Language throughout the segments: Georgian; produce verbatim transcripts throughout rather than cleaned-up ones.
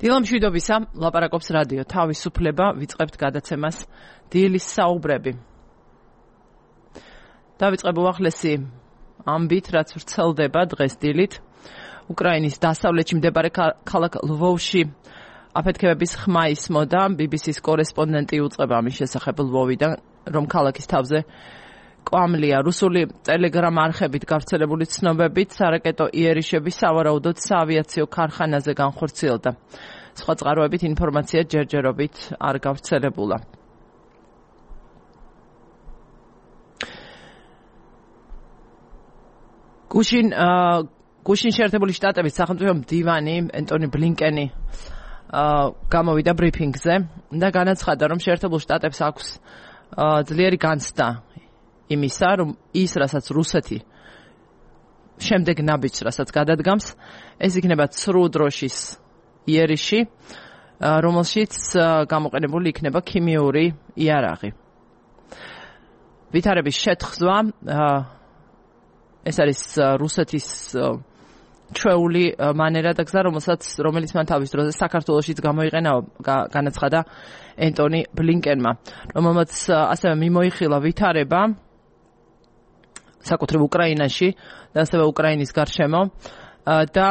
დილამშვიდობისა, ლაპარაკობს რადიო თავისუფლება, ვიწყებთ გადაცემას დილის საუბრები. დავიწყებ უახლესი ამბით, რაც ვრცელდება დღეს დილით. უკრაინის დასავლეთში მდებარე ქალაქ ლვოვში აფეთქებების ხმა ისმოდა. ბი ბი სის კორესპონდენტი უწყება ამის შესახებ ლვოვიდან, რომ ქალაქის თავზე კვამლია. რუსული ტელეგრამ არხებით გავრცელებული ცნობებით სარაკეტო იერიშები სავარაუდოდ საავიაციო ქარხანაზე განხორციელდა. სხვა წყაროებით ინფორმაცია ჯერჯერობით არ გავრცელებულა. გუშინ გუშინ შეერთებული შტატების სახელმწიფო მდივანი ენტონი ბლინკენი გამოვიდა ბრიფინგზე და განაცხადა, რომ შეერთებულ შტატებს აქვს ძლიერი განცდა იმისა, რომ ის, რასაც რუსეთი შემდეგ ნაბიჯს, რასაც გადადგამს, ეს იქნება ცრუ დროშის იერიში, რომელშიც გამოყენებული იქნება ქიმიური იარაღი. ვითარების შეთხზვა, ეს არის რუსეთის ჩვეული მანერა და გზა, რომელსაც რომელიც მან თავის დროზე საქართველოშიც გამოიყენა, განაცხადა ენტონი ბლინკენმა, რომელმაც ასევე მიმოიხილა ვითარება საკუთრივ უკრაინაში და ასევე უკრაინის გარშემო და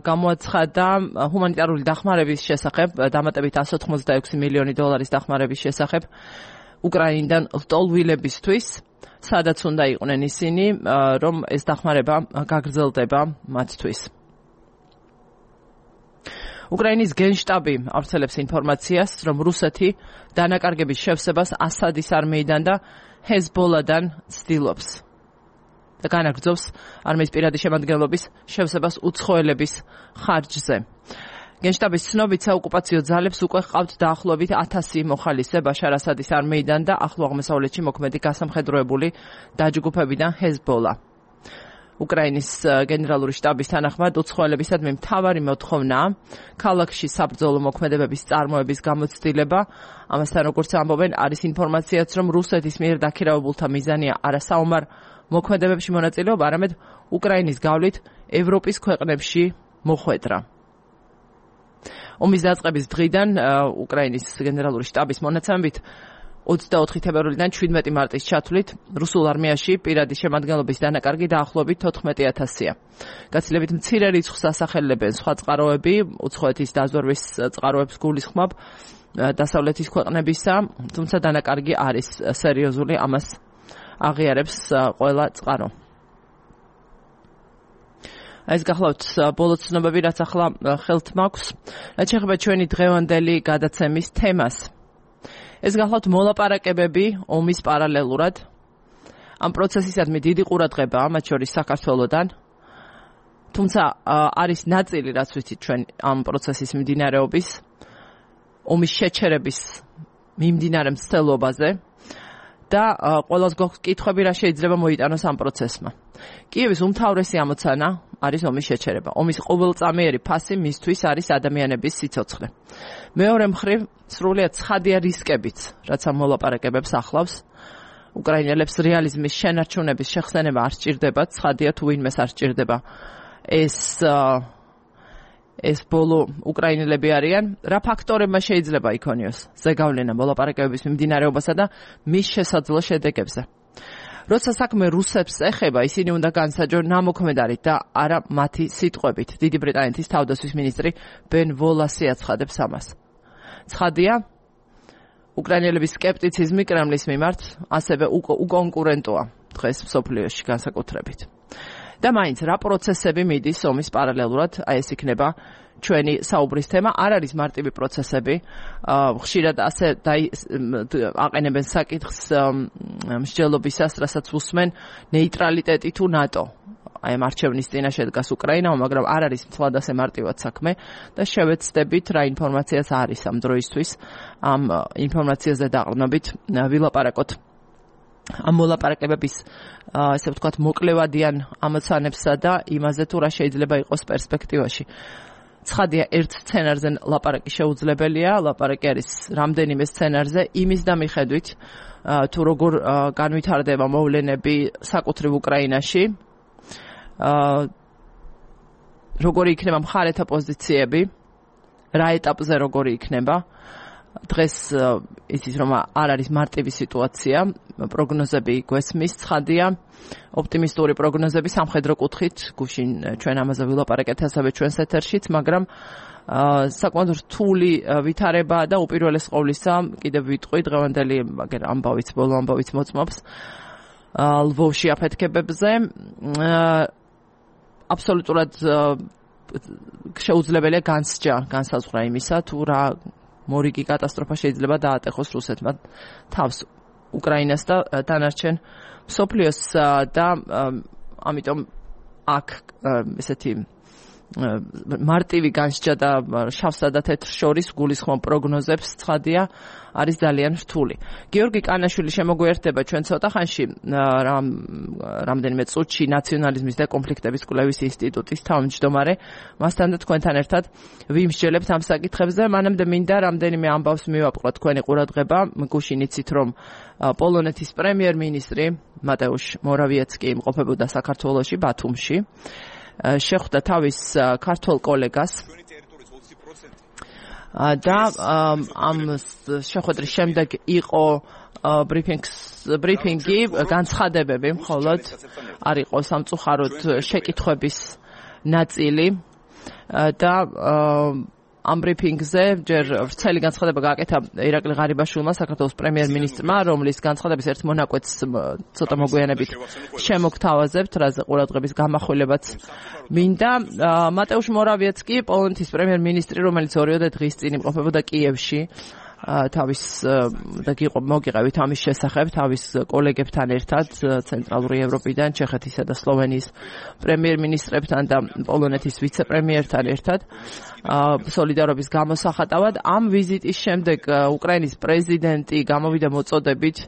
გამოაცხადა ჰუმანიტარული დახმარების შესახებ, დამატებით εκατს ოცდაექვსი მილიონი დოლარის დახმარების შესახებ უკრაინიდან ლტოლვილებისთვის, სადაც უნდა იყვნენ ისინი, რომ ეს დახმარება გაგრძელდება მათთვის. უკრაინის გენშტაბი ავრცელებს ინფორმაციას, რომ რუსეთი დანაკარგების შევსებას ასადის არმიიდან და ჰეზბოლადან ცდილობს და განაგრძობს არმიის პირადი შემადგენლობის შევსებას უცხოელების ხარჯზე. გენშტაბის ცნობით საოკუპაციო ძალებს უკვე ჰყავთ დაახლოებით ათასი მოხალისე ბაშარ ასადის არმიიდან და ახლო აღმოსავლეთში მოქმედი გასამხედროებული დაჯგუფებიდან ჰეზბოლა. უკრაინის გენერალური შტაბის თანახმად უცხოელებისადმი მთავარი მოთხოვნაა ქალაქში საბრძოლო მოქმედებების წარმოების გამოცდილება. ამასთან, როგორც ამბობენ, არის ინფორმაციაც, რომ რუსეთის მიერ დაქირავებულთა მიზანია არა საომარ მოქმედებებში მონაწილეობა, არამედ უკრაინის გავლით ევროპის ქვეყნებში მოხვედრა. ომის დაწყების დღიდან უკრაინის გენერალური შტაბის მონაცემებით ოცდაოთხი თებერვლიდან შვიდმეტი მარტის ჩათვლით რუსულ არმიაში პირადი შემადგენლობის დანაკარგი დაახლოებით თოთხმეტი ათასია. გაცილებით მცირე რიცხვს ასახელებენ სხვა წყაროები, უცხოეთის დაზვერვის წყაროებს გულისხმობ დასავლეთის ქვეყნებისა, თუმცა დანაკარგი არის სერიოზული, ამას აღიარებს ყველა წყარო. ეს გახლავთ ბოლო ცნობები, რაც ახლა ხელთ მაქვს, რაც შეეხება ჩვენი დღევანდელი გადაცემის თემას. ეს გახლავთ მოლაპარაკებები ომის პარალელურად. ამ პროცესისადმი დიდი ყურადღება, მათ შორის საქართველოდან. თუმცა არის ნაწილი, რაც ვიცით ჩვენ ამ პროცესის მიმდინარეობის, ომის შეჩერების მიმდინარე მცდელობაზე და ყველას გვაქვს კითხვები, რა შეიძლება მოიტანოს ამ პროცესმა. კიევის უმთავრესი ამოცანა არის ომის შეჩერება. ომის ყოველწამიერი ფასი მისთვის არის ადამიანების სიცოცხლე. მეორე მხრივ, სრულიად ცხადია რისკებიც, რაც ამ მოლაპარაკებებს ახლავს. უკრაინელებს რეალიზმის შენარჩუნების შეხსენება არ სჭირდებათ, ცხადია თუ ვინმეს არ სჭირდება ეს ეს ბოლო უკრაინელები არიან. რა ფაქტორებმა შეიძლება იქონიოს ზეგავლენა მოლაპარაკებების მიმდინარეობასა და მის შესაძლო შედეგებზე. როცა საქმე რუსებს ეხება, ისინი უნდა განსაჯონ ნამოქმედარით და არა მათი სიტყვებით. დიდი ბრიტანეთის თავდაცვის მინისტრი ბენ ვოლასი აცხადებს ამას. ცხადია, უკრაინელების სკეპტიციზმი კრემლის მიმართ ასევე უკონკურენტოა დღეს მსოფლიოში განსაკუთრებით. და მაინც რა პროცესები მიდის ომის პარალელურად, აი ეს იქნება ჩვენი საუბრის თემა. არ არის მარტივი პროცესები, ხშირად ასე აყენებენ საკითხს მსჯელობისას, რასაც უსმენ ნეიტრალიტეტი თუ ნატო. აი ამ არჩევნის წინაშე დგას უკრაინა, მაგრამ არ არის მთლად ასე მარტივად საქმე და შევეცდებით რა ინფორმაციაც არის ამ დროისთვის, ამ ინფორმაციაზე დაყრდნობით ვილაპარაკოთ. ამ მოლაპარაკებების ესე ვთქვათ მოკლევადიან ამოცანებსა და იმაზე თუ რა შეიძლება იყოს პერსპექტივაში. ცხადია, ერთ სცენარზე ლაპარაკი შეუძლებელია, ლაპარაკი არის რამდენიმე სცენარზე, იმის და მიხედვით თუ როგორ განვითარდება მოვლენები საკუთრივ უკრაინაში, როგორი იქნება მხარეთა პოზიციები, რა ეტაპზე როგორი იქნება. დღეს იცით რომ არ არის მარტივი სიტუაცია, პროგნოზები გვესმის, ცხადია, ოპტიმისტური პროგნოზები სამხედრო კუთხით, გუშინ ჩვენ ამაზე ვილაპარაკეთ ასევე ჩვენს ეთერშიც, მაგრამ საკმაოდ რთული ვითარება და უპირველეს ყოვლისა, კიდევ ვიტყვი დღევანდელი ამბავიც, ბოლო ამბავიც მოწმობს ლვოვში აფეთქებებზე. აბსოლუტურად შეუძლებელია განსჯა, განსაზღვრა იმისა, თუ რა მორიგი კატასტროფა შეიძლება დაატეხოს რუსეთმა თავს უკრაინას და დანარჩენ მსოფლიოს და ამიტომ აქ ესეთი მარტივი განსჯა და შავსა და თეთრ შორის გულისხმობ პროგნოზებს ცხადია არის ძალიან რთული. გიორგი კანაშვილი შემოგვიერთდება ჩვენ ცოტა ხანში რამ რამდენიმე წუთში ნაციონალიზმის და კონფლიქტების კვლევის ინსტიტუტის თავმჯდომარე. მასთან და თქვენთან ერთად ვიმსჯელებთ ამ საკითხებზე. მანამდე მინდა რამდენიმე ამბავს მივაპყრო თქვენი ყურადღება. გუშინ იცით რომ პოლონეთის პრემიერ-მინისტრი მატეუშ მორავიეცკი იმყოფებოდა საქართველოში, ბათუმში. შეხვდა თავის ქართველ კოლეგას და ამ შეხვედრის შემდეგ იყო ბრიფინგი, განცხადებები, მხოლოდ არ იყო სამწუხაროდ შეკითხვების ნაწილი და ამ ბრიფინგზე ჯერ ვრცელი განცხადება გააკეთა ირაკლი ღარიბაშვილმა, საქართველოს პრემიერ-მინისტრმა, რომლის განცხადების ერთ მონაკვეთს ცოტა მოგვიანებით შემოგთავაზებთ, რაზე ყურადღების გამახვილებაც მინდა. მატეუშ მორავიეცკი, პოლონეთის პრემიერ-მინისტრი, რომელიც ორიოდე დღის წინ იმყოფებოდა კიევში, თავის და მოგიყევით ამის შესახებ თავის კოლეგებთან ერთად, ცენტრალური ევროპიდან, ჩეხეთისა და სლოვენიის პრემიერ-მინისტრებთან და პოლონეთის ვიცე-პრემიერთან ერთად, სოლიდარობის გამოსახატავად. ამ ვიზიტის შემდეგ უკრაინის პრეზიდენტი გამოვიდა მოწოდებით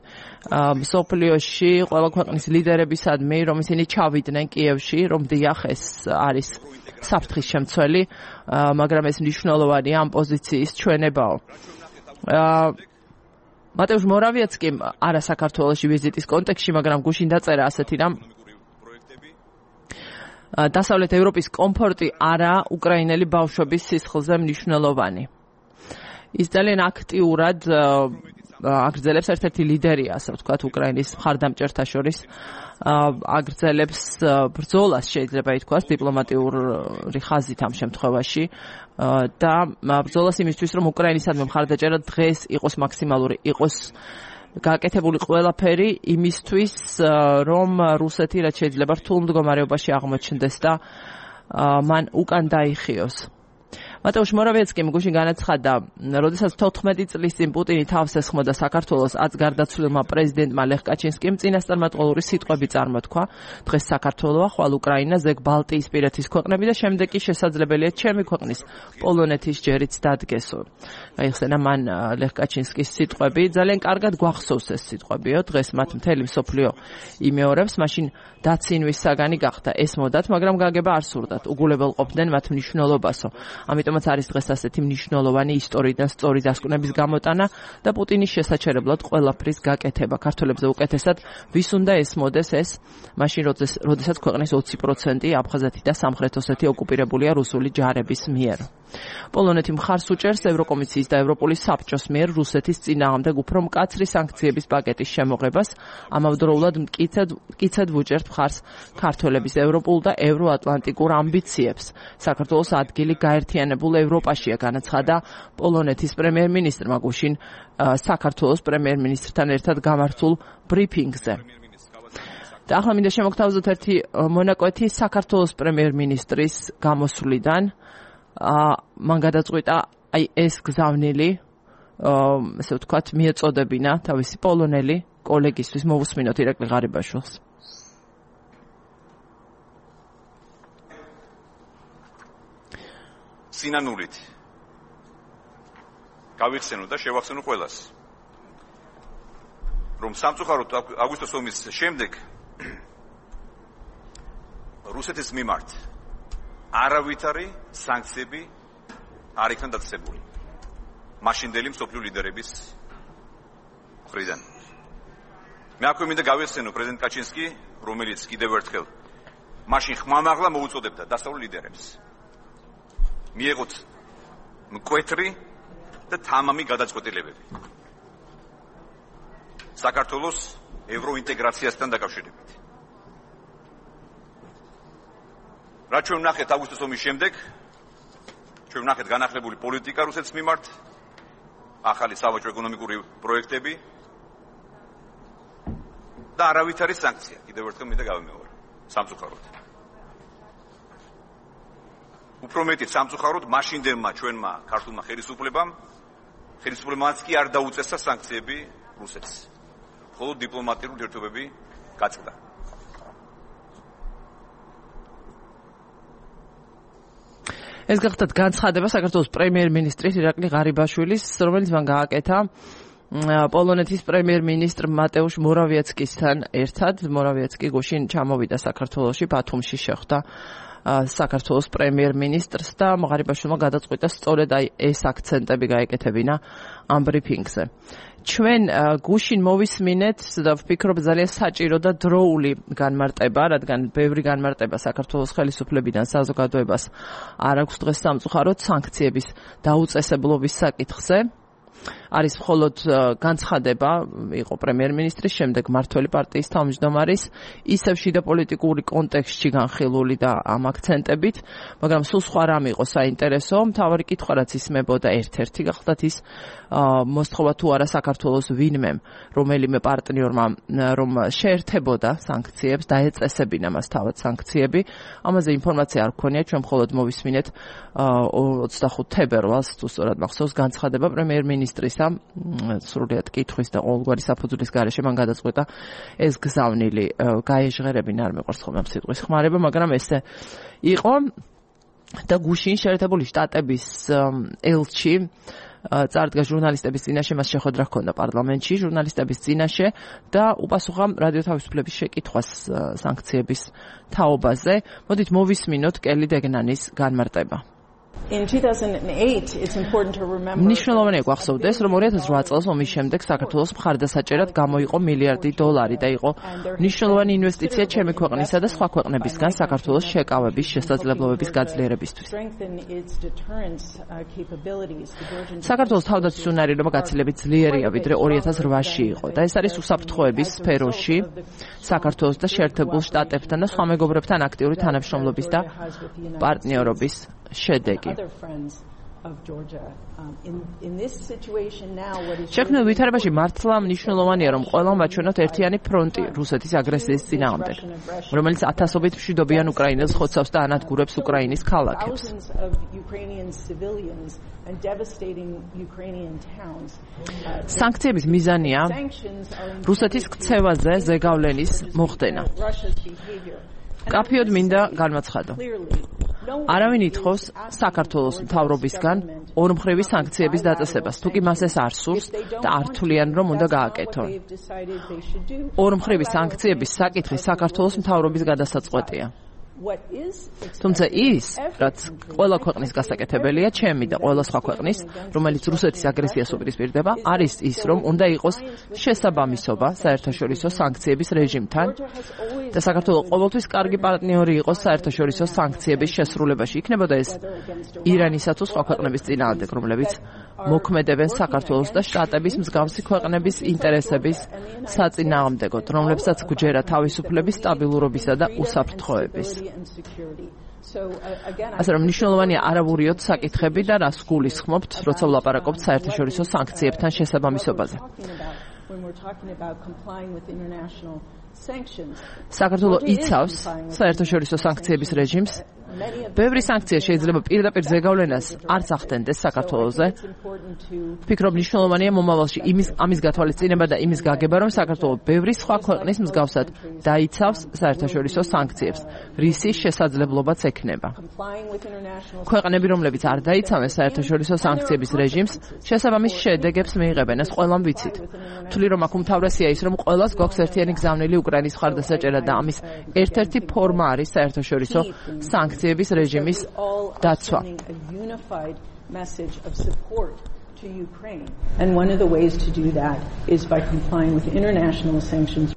მსოფლიოში ყველა ქვეყნის ლიდერებისადმი, რომ ისინი ჩავიდნენ კიევში, რომ დიახ, ეს არის საფრთხის შემცველი, მაგრამ ეს მნიშვნელოვანია ამ პოზიციის ჩვენებაო. მატეუშ მორავიეცკიმ არა საქართველოში ვიზიტის კონტექსტში, მაგრამ გუშინ დაწერა ასეთი რამ. დასავლეთ ევროპის კომფორტი არა უკრაინელი ბავშვების სისხლზე მნიშვნელოვანი. ის ძალიან აქტიურად აგრძელებს ერთ-ერთი ლიდერია, ასე ვთქვათ, უკრაინის მხარდამჭერთა შორის აგრძელებს ბრძოლას, შეიძლება ითქვას, დიპლომატიური ხაზით ამ შემთხვევაში და ბრძოლას იმისთვის, რომ უკრაინისადმი მხარდაჭერა დღეს იყოს მაქსიმალური, იყოს გააკეთებული ყველაფერი იმისთვის, რომ რუსეთი რაც შეიძლება რთულ მდგომარეობაში აღმოჩნდეს და მან უკან დაიხიოს. მატეუშ მორავიეცკიმ გუშინ განაცხადა, როდესაც თოთხმეტი წლის წინ პუტინი თავს ესხმოდა საქართველოს აც გარდაცვლილმა პრეზიდენტმა ლეხ კაჩინსკიმ წინასწარმეტყველური სიტყვები წარმოთქვა. დღეს საქართველოა, ხვალ უკრაინა, ზეგ ბალტიისპირეთის ქვეყნები და შემდეგ კი შესაძლებელია ჩემი ქვეყნის პოლონეთის ჯერიც დადგესო. გაიხსენა მან ლეხ კაჩინსკის სიტყვები, ძალიან კარგად გვახსოვს ეს სიტყვებიო, დღეს მათ მთელი მსოფლიო იმეორებს, მაშინ დაცინვის საგანი გახდა ესმოდათ, მაგრამ გაგება არ სურდათ, უგულებელყოფდნენ მათ მნიშვნელობასო. ამიტომაც არის დღეს ასეთი მნიშვნელოვანი ისტორიიდან სწორი დასკვნების გამოტანა და პუტინის შესაჩერებლად ყველაფრის გაკეთება. ქართველებზე უკეთესად ვის უნდა ესმოდეს ეს, მაშინ როდესაც ქვეყნის ოცი პროცენტი აფხაზეთი და სამხრეთ ოსეთი ოკუპირებულია რუსული ჯარების მიერ. პოლონეთი მხარს უჭერს ევროკომისიის და ევროპული საბჭოს მიერ რუსეთის წინააღმდეგ უფრო მკაცრი სანქციების პაკეტის შემოღებას, ამავდროულად მტკიცედ ვუჭერთ მხარს ქართველების ევროპულ და ევროატლანტიკურ ამბიციებს. საქართველოს ადგილი გაერთიანებულ ევროპაშია, განაცხადა პოლონეთის პრემიერ-მინისტრმა გუშინ საქართველოს პრემიერ-მინისტრთან ერთად გამართულ ბრიფინგზე. და ახლა მინდა შემოგთავაზოთ ერთი მონაკვეთი საქართველოს პრემიერ-მინისტრის გამოსვლიდან. მან გადაწყვიტა აი ეს გზავნილი, ესე ვთქვათ, მიეწოდებინა თავისი პოლონელი კოლეგისთვის. მოვუსმინოთ ირაკლი ღარიბაშვილს. სინანულით გავიხსენო და შევახსენო ყველას, რომ სამწუხაროდ აგვისტოს ომის შემდეგ რუსეთის მიმართ არავითარი სანქციები არ იქნა დაწესებული მაშინდელი მსოფლიო ლიდერების მხრიდან. მე აქვე მინდა გავიხსენო პრეზიდენტ კაჩინსკი, რომელიც კიდევ ერთხელ მაშინ ხმამაღლა მოუწოდებდა დასავლურ ლიდერებს მიეღოთ მკვეთრი და თამამი გადაწყვეტილებები საქართველოს ევროინტეგრაციასთან დაკავშირებით. რაც ჩვენ ვნახეთ აგვისტოს ომის შემდეგ, ჩვენ ვნახეთ განახლებული პოლიტიკა რუსეთის მიმართ, ახალი სავაჭრო ეკონომიკური პროექტები და არავითარი სანქცია. კიდევ ერთხელ მინდა გავიმეორო, სამწუხაროდ. უფრო მეტიც სამწუხაროდ მაშინდელმა ჩვენმა ქართულმა ხელისუფლებამ, ხელისუფლებამაც კი არ დაუწესა სანქციები რუსეთს. მხოლოდ დიპლომატიური ურთიერთობები გაწყდა. ეს გახდათ განცხადება საქართველოს პრემიერ-მინისტრის ირაკლი ღარიბაშვილის, რომელიც მან გააკეთა პოლონეთის პრემიერ-მინისტრ მატეუშ მორავიეცკისთან ერთად. მორავიეცკი გუშინ ჩამოვიდა საქართველოში, ბათუმში შეხვდა საქართველოს პრემიერ-მინისტრს და ღარიბაშვილმა გადაწყვიტა სწორედ აი ეს აქცენტები გაეკეთებინა ამ ბრიფინგზე. ჩვენ გუშინ მოვისმინეთ და ვფიქრობ ძალიან საჭირო და დროული განმარტება, რადგან ბევრი განმარტება საქართველოს ხელისუფლებიდან საზოგადოებას არ აქვს დღეს სამწუხაროდ სანქციების დაუწესებლობის საკითხზე. არის მხოლოდ განცხადება იყო პრემიერ-მინისტრის, შემდეგ მმართველი პარტიის თავმჯდომარის, ისევ შიდა პოლიტიკური კონტექსტში განხილული და ამ აქცენტებით, მაგრამ სულ სხვა რამ იყო საინტერესო. მთავარი კითხვა რაც ისმებოდა ერთ-ერთი გახდათ ის მოსთხოვა თუ არა საქართველოს ვინმემ, რომელიმე პარტნიორმა რომ შეერთებოდა სანქციებს, დაეწესებინა მას თავად სანქციები. ამაზე ინფორმაცია არ გქონია, ჩვენ მხოლოდ მოვისმინეთ ოცდახუთი თებერვალს, თუ სწორად მახსოვს, განცხადება პრემიერ-მინისტრისა სრულიად კითხვის და ყოველგვარი საფუძვლის გარეშე მან გადაწყვიტა ეს გზავნილი გაეჟღერებინა, არ მეყვარს ხოლმე ამ სიტყვის ხმარება, მაგრამ ესე იყო და გუშინ შეერთებული შტატების ელჩი წარდგა ჟურნალისტების წინაშე, მას შეხვედრა ჰქონდა პარლამენტში ჟურნალისტების წინაშე და უპასუხა რადიო თავისუფლების შეკითხვას სანქციების თაობაზე. მოდით მოვისმინოთ კელი დეგნანის განმარტება. მნიშვნელოვანია გვახსოვდეს, რომ ორი ათას ოთხ წელს ომის შემდეგ საქართველოს მხარდასაჭერად გამოიყო მილიარდი დოლარი და იყო მნიშვნელოვანი ინვესტიცია ჩემი ქვეყნისა და სხვა ქვეყნებისგან საქართველოს შეკავების შესაძლებლობების გაძლიერებისთვის. საქართველოს თავდაცვის უნარიანობა გაცილებით ძლიერია, ვიდრე ორი ათას რვაში იყო და ეს არის უსაფრთხოების სფეროში საქართველოს და შეერთებულ შტატებთან და სხვა მეგობრებთან აქტიური თანამშრომლობის და პარტნიორობის შედეგი. შექმნილ ვითარებაში მართლა მნიშვნელოვანია, რომ ყველა მაჩვენოთ ერთიანი ფრონტი რუსეთის აგრესიის წინააღმდეგ, რომელიც ათასობით მშვიდობიან უკრაინელს ხოცავს და ანადგურებს უკრაინის ქალაქებს. სანქციების მიზანია რუსეთის ქცევაზე ზეგავლენის მოხდენა. კაფეოდ მინდა განმაცხადო. არავინ ითხოვს საქართველოს მთავრობისგან ორმხრივი სანქციების დაწესებას, თუკი მას ეს არ სურს და არ თვლიან, რომ უნდა გააკეთონ. ორმხრივი სანქციების საკითხი საქართველოს მთავრობის გადასაწყვეტია. თუმცა ის, რაც ყველა ქვეყნის გასაკეთებელია, ჩემი და ყველა სხვა ქვეყნის, რომელიც რუსეთის აგრესიას უპირისპირდება, არის ის, რომ უნდა იყოს შესაბამისობა საერთაშორისო სანქციების რეჟიმთან და საქართველოს ყოველთვის კარგი პარტნიორი იყოს საერთაშორისო სანქციების შესრულებაში. იქნებოდა ეს ირანისა თუ სხვა ქვეყნების წინააღმდეგ, რომლებიც მოქმედებენ საქართველოს და შტატების მსგავსი ქვეყნების ინტერესების საწინააღმდეგოდ, რომლებსაც გვჯერა თავისუფლების, სტაბილურობისა და უსაფრთხოების. ასე რომ მნიშვნელოვანია არავურიოთ საკითხები და რას გულისხმობთ, როცა ვლაპარაკობთ საერთაშორისო სანქციებთან შესაბამისობაზე. საქართველოს იცავს საერთაშორისო სანქციების რეჟიმს. ბევრი სანქცია შეიძლება პირდაპირ ზეგავლენას არც ახდენდეს საქართველოზე. ვფიქრობ მნიშვნელოვანია მომავალში იმის ამის გათვალისწინება და იმის გაგება, რომ საქართველოს ბევრი სხვა ქვეყნის მსგავსად დაიცავს საერთაშორისო სანქციებს, რისი შესაძლებლობაც ექნება. ქვეყნები, რომლებიც არ დაიცავენ საერთაშორისო სანქციების რეჟიმს, შესაბამის შედეგებს მიიღებენ, ეს ყველამ ვიცით. თვლი რომ აქ უმთავრესია ის, რომ ყველას გვაქვს ერთიანი გზავნილი უკრაინის მხარდასაჭერად და ამის ერთ-ერთი ფორმა არის საერთაშორისო სანქციების რეჟიმის დაცვა. And one of the ways to do that is by complying with international sanctions.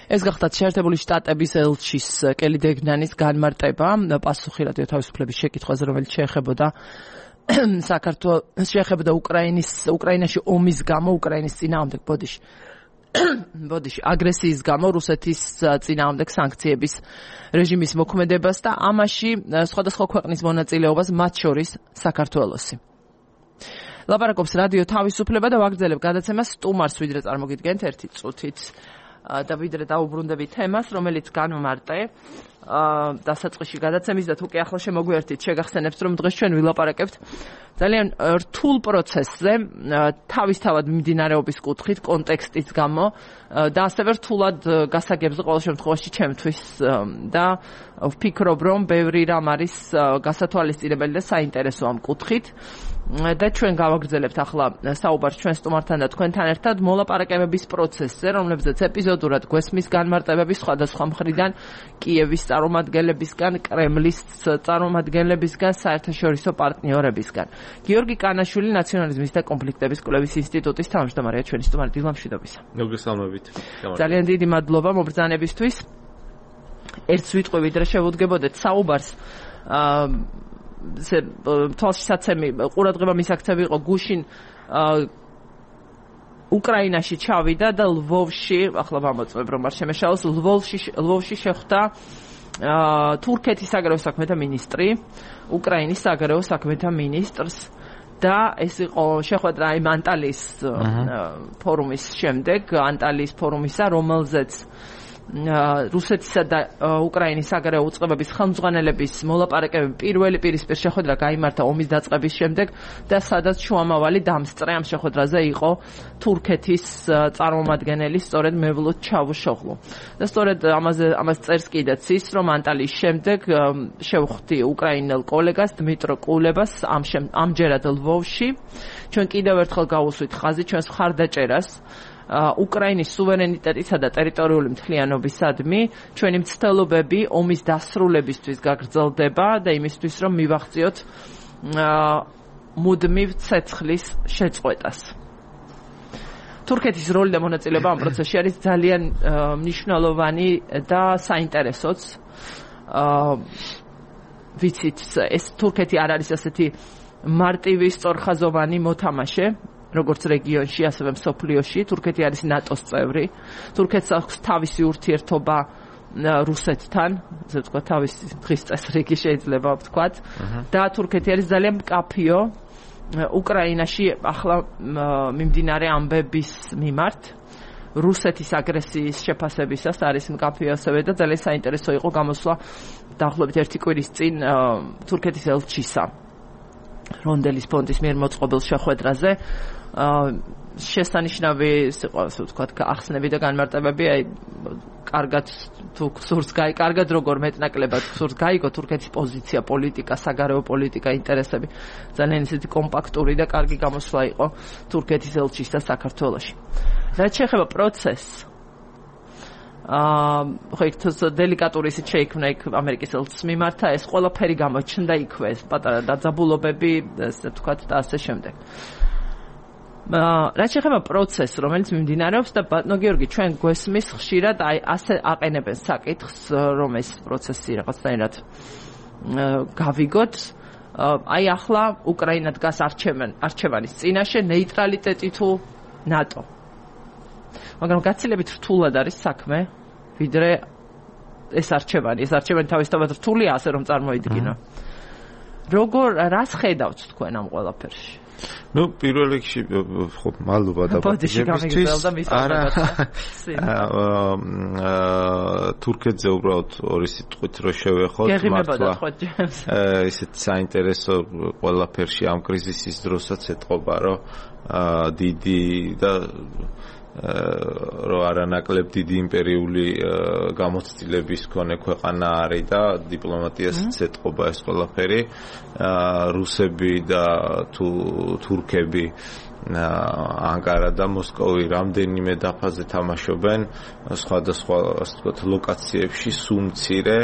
ეს გახდათ შეერთებული შტატების ელჩის კელი დეგნანის განმარტება, პასუხი რადიო თავისუფლების შეკითხვაზე, რომელიც შეეხებოდა საქართველოს შეეხებოდა უკრაინის უკრაინაში ომის გამო უკრაინის წინააღმდეგ ბოდიში ბოდიში აგრესიის გამო რუსეთის წინააღმდეგ სანქციების რეჟიმის მოქმედებას და ამაში სხვადასხვა ქვეყნის მონაწილეობას მათ შორის საქართველოსი. ლაპარაკობს რადიო თავისუფლება და ვაგრძელებ გადაცემას სტუმარს ვიდრე წარმოგიდგენთ ერთი წუთით და ვიდრე დაუბრუნდები თემას, რომელიც განვმარტე დასაწყისში გადაცემის და თუ კი ახლა შემოგვიერთით, შეგახსენებთ, რომ დღეს ჩვენ ვილაპარაკებთ ძალიან რთულ პროცესზე, თავისთავად მიმდინარეობის კუთხით, კონტექსტის გამო და ასევე რთულად გასაგებზე ყოველ შემთხვევაში ჩემთვის და ვფიქრობ, რომ ბევრი რამ არის გასათვალისწინებელი და საინტერესო ამ კუთხით. და ჩვენ გავაგრძელებთ ახლა საუბარს ჩვენ სტუმართან და თქვენთან ერთად მოლაპარაკებების პროცესზე, რომლებზეც ეპიზოდურად გვესმის განმარტებები სხვადასხვა მხრიდან, კიევის წარმომადგენლებისგან, კრემლის წარმომადგენლებისგან, საერთაშორისო პარტნიორებისგან. გიორგი კანაშვილი, ნაციონალიზმის და კონფლიქტების კვლევის ინსტიტუტის თავმჯდომარეა, ჩვენი სტუმარი. დილა მშვიდობისა. მოგესალმებით. ძალიან დიდი მადლობა მობრძანებისთვის. ერთ სიტყვი ვიდრე შევუდგებოდეთ საუბარს თვალშისაცემი ყურადღება მისაქცევი იყო გუშინ უკრაინაში ჩავიდა და ლვოვში, ახლა ვამოწმებ რომ არ შემეშალოს, ლვოვში ლვოვში შეხვდა თურქეთის საგარეო საქმეთა მინისტრი, უკრაინის საგარეო საქმეთა მინისტრს და ეს იყო შეხვედრა აი ანტალიის ფორუმის შემდეგ, ანტალიის ფორუმისა, რომელზეც რუსეთისა და უკრაინის საგარეო უწყებების ხელმძღვანელების მოლაპარაკებები პირველი პირისპირ შეხვედრა გაიმართა ომის დაწყების შემდეგ და სადაც შუამავალი დამსწრე ამ შეხვედრაზე იყო თურქეთის წარმომადგენელი სწორედ მევლութ ჩავუშოღლუ. და სწორედ ამაზე ამას წერს კიდეც ის, რომ ანტალიის შემდეგ შევხვდი უკრაინელ კოლეგას დმიტრო კულებას ამ ამჯერად ლვოვში. ჩვენ კიდევ ერთხელ გავუსვით ხაზი ჩვენს მხარდაჭერას უკრაინის სუვერენიტეტისა და ტერიტორიული მთლიანობისადმი, ჩვენი მცდელობები ომის დასრულებისთვის გაგრძელდება და იმისთვის, რომ მივახციოთ მუდმივ ცეცხლის შეწყვეტას. თურქეთის როლი და მონაწილეობა ამ პროცესში არის ძალიან მნიშვნელოვანი და საინტერესოც. ვიცით, ეს თურქეთი არ არის ასეთი მარტივი სწორხაზოვანი მოთამაშე, როგორც რეგიონში, ასევე მსოფლიოში. თურქეთი არის ნატოს წევრი. თურქეთს აქვს თავისი ურთიერთობა რუსეთთან, ასე ვთქვათ, თავისი დღის წესრიგი შეიძლება ვთქვათ. და თურქეთი არის ძალიან მკაფიო უკრაინაში ახლა მიმდინარე ამბების მიმართ. რუსეთის აგრესიის შეფასებისას არის მკაფიო ასევე და ძალიან საინტერესო იყო გამოსვლა დაახლოებით ერთი კვირის წინ თურქეთის ელჩისა რონდელის ფონდის მიერ მოწყობილ შეხვედრაზე. შესანიშნავი იყო, ასე ვთქვათ, ახსნები და განმარტებები, აი კარგად თუ გსურს გაი, კარგად როგორ მეტნაკლებად გსურს გაიგო თურქეთის პოზიცია, პოლიტიკა, საგარეო პოლიტიკა, ინტერესები. ძალიან ისეთი კომპაქტური და კარგი გამოსვლა იყო თურქეთის ელჩისა საქართველოში. რაც შეეხება პროცესს, აა ხო იქ დელიკატური ისიც შეიქმნა იქ ამერიკის ელჩის მიმართა, ეს ყველაფერი გამოჩნდა იქვე, ეს პატარა დაძაბულობები, ასე ვთქვათ და ასე შემდეგ. რაც შეეხება პროცესს, რომელიც მიმდინარეობს და ბატონო გიორგი, ჩვენ გვესმის ხშირად აი ასე აყენებენ საკითხს, რომ ეს პროცესი რაღაცნაირად გავიგოთ. აი ახლა უკრაინა დგას არჩევან არჩევანის წინაშე, ნეიტრალიტეტი თუ ნატო. მაგრამ გაცილებით რთულად არის საქმე, ვიდრე ეს არჩევანი, ეს არჩევანი თავისთავად რთულია, ასე რომ წარმოიდგინო. როგორ რას ხედავთ თქვენ ამ ყველაფერში? ну პირველ რიგში ხო მადლობა დაბადებისთვის არა თურქეთზე უბრალოდ ორი სიტყვით რო შევეხოთ მართლა ისეთ საინტერესო ყველაფერში ამ კრიზისის დროსაც ეთყობა რომ დიდი და რომ არანაკლებ დიდი იმპერიული გამოცდილების მქონე ქვეყანა არის და დიპლომატიასაც ეთყობა ეს ყველაფერი რუსები და თურქები ანკარა და მოსკოვი რამდენიმე დაფაზე თამაშობენ სხვადასხვა ასე ვთქვათ ლოკაციებში სუმცირე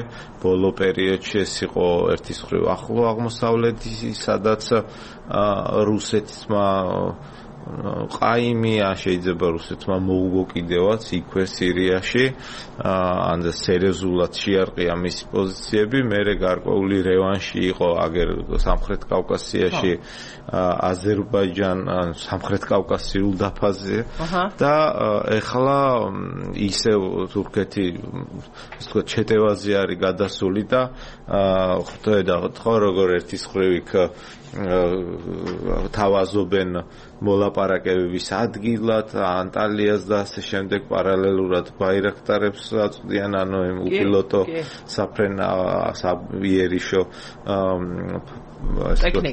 ბოლო პერიოდში ეს იყო ერთის მხრივ ახლო აღმოსავლეთი სადაც რუსეთმა ანუ ყაიმია შეიძლება რუსეთმა მოუგო კიდევაც იქვე სირიაში ან სერიოზულად შეარყია მისი პოზიციები, მერე გარკვეული რევანში იყო აგერ სამხრეთ კავკასიაში აზერბაიჯან ან სამხრეთ კავკასიულ დაფაზე და ეხლა ისევ თურქეთი ის თქვა ჩეტევაზე არის გადასული და ხვდები ხო როგორ ერთის ხრივ იქ თავაზობენ მოლაპარაკებების ადგილად ანტალიას და ასე შემდეგ პარალელურად ბაირაქტარებს აწვდიან ანუ იმ უპილოტო საფრენა საიერიშო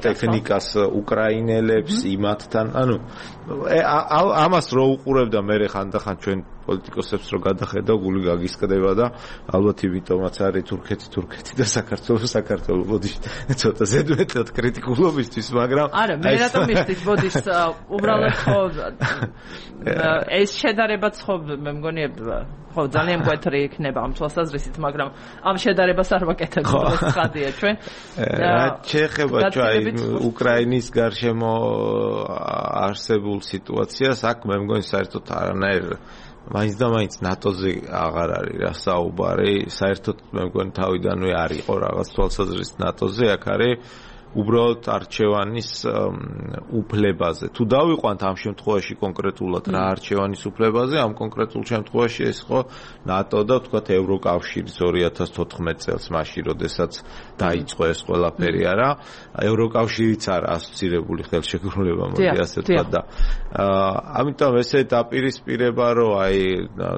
ტექნიკას უკრაინელებს იმათთან ანუ ამას რო უყურებდა მე ხანდახან ჩვენ პოლიტიკოსებს რო გადახედავ გული გაგისკდება და ალბათ იმიტომაც არის თურქეთი თურქეთი და საქართველო საქართველო ბოდიში ცოტა ზედმეტად კრიტიკულობისთვის მაგრამ არა მე რატომ ისიც ბოდიშ უბრალოდ ხო ეს შედარებაც ხო მე მგონი ხო ძალიან მკვეთრი იქნება ამ თვალსაზრისით მაგრამ ამ შედარებას არ ვაკეთებ ეს ხადია ჩვენ რა შეხება ჩვენ უკრაინის გარშემო არსებულ სიტუაციას აქ მე მგონი საერთოდ არანაირ მაინც და მაინც ნატოზე აღარ არის რა საუბარი საერთოდ მე მგონი თავიდანვე არ იყო რაღაც თვალსაზრისით ნატოზე აქ არის უბრალოდ არჩევანის უფლებაზე თუ დავიყვანთ ამ შემთხვევაში კონკრეტულად რა არჩევანის უფლებაზე ამ კონკრეტულ შემთხვევაში ეს ხო ნატო და ვთქვათ ევროკავშირის ორი ათას თოთხმეტ წელს მაშინ როდესაც დაიწყო ეს ყველაფერი არა ევროკავშირიც არა ასოცირებული ხელშეკრულება მოდი ასე ვთქვათ და ამიტომ ესე დაპირისპირება რომ აი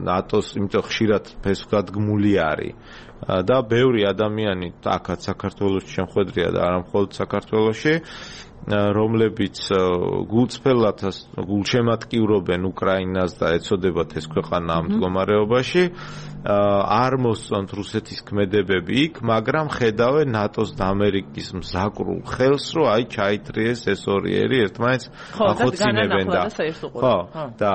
ნატოს იმიტომ ხშირად ფესვგადგმული არის და ბევრი ადამიანი აქაც საქართველოში შემხვედრია და არა მხოლოდ საქართველოში რომლებიც გულწრფელად გულშემატკივრობენ უკრაინას და ეცოდებათ ეს ქვეყანა ამ მდგომარეობაში არ მოსწონთ რუსეთის ქმედებები იქ მაგრამ ხედავენ ნატოს და ამერიკის მზაკრულ ხელს რომ აი ჩაითრიეს ეს ორიერი ერთმანეთს ახოცინებენ და ხო და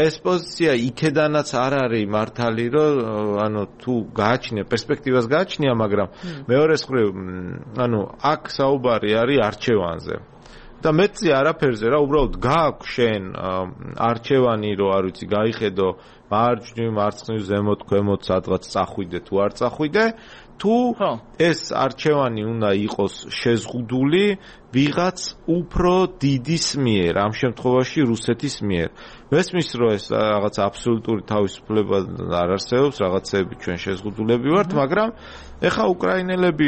ეს პოზიცია იქედანაც არ არის მართალი რომ ანუ თუ გააჩნია პერსპექტივას გააჩნია მაგრამ მეორე მხრივ ანუ აქ საუბარი არის არჩევანზე და მეცი არაფერზე რა უბრალოდ გააქვს შენ არჩევანი რომ არ ვიცი გაიხედო მარჯვნივ მარცხნივ ზემოთ ქვემოთ სადღაც წახვიდე თუ არ წახვიდე თუ ეს არჩევანი უნდა იყოს შეზღუდული ვიღაც უფრო დიდის მიერ ამ შემთხვევაში რუსეთის მიერ მესმის რომ ეს რაღაც აბსოლუტური თავისუფლება არ არსებობს რაღაცები ჩვენ შეზღუდულები ვართ მაგრამ ეხა უკრაინელები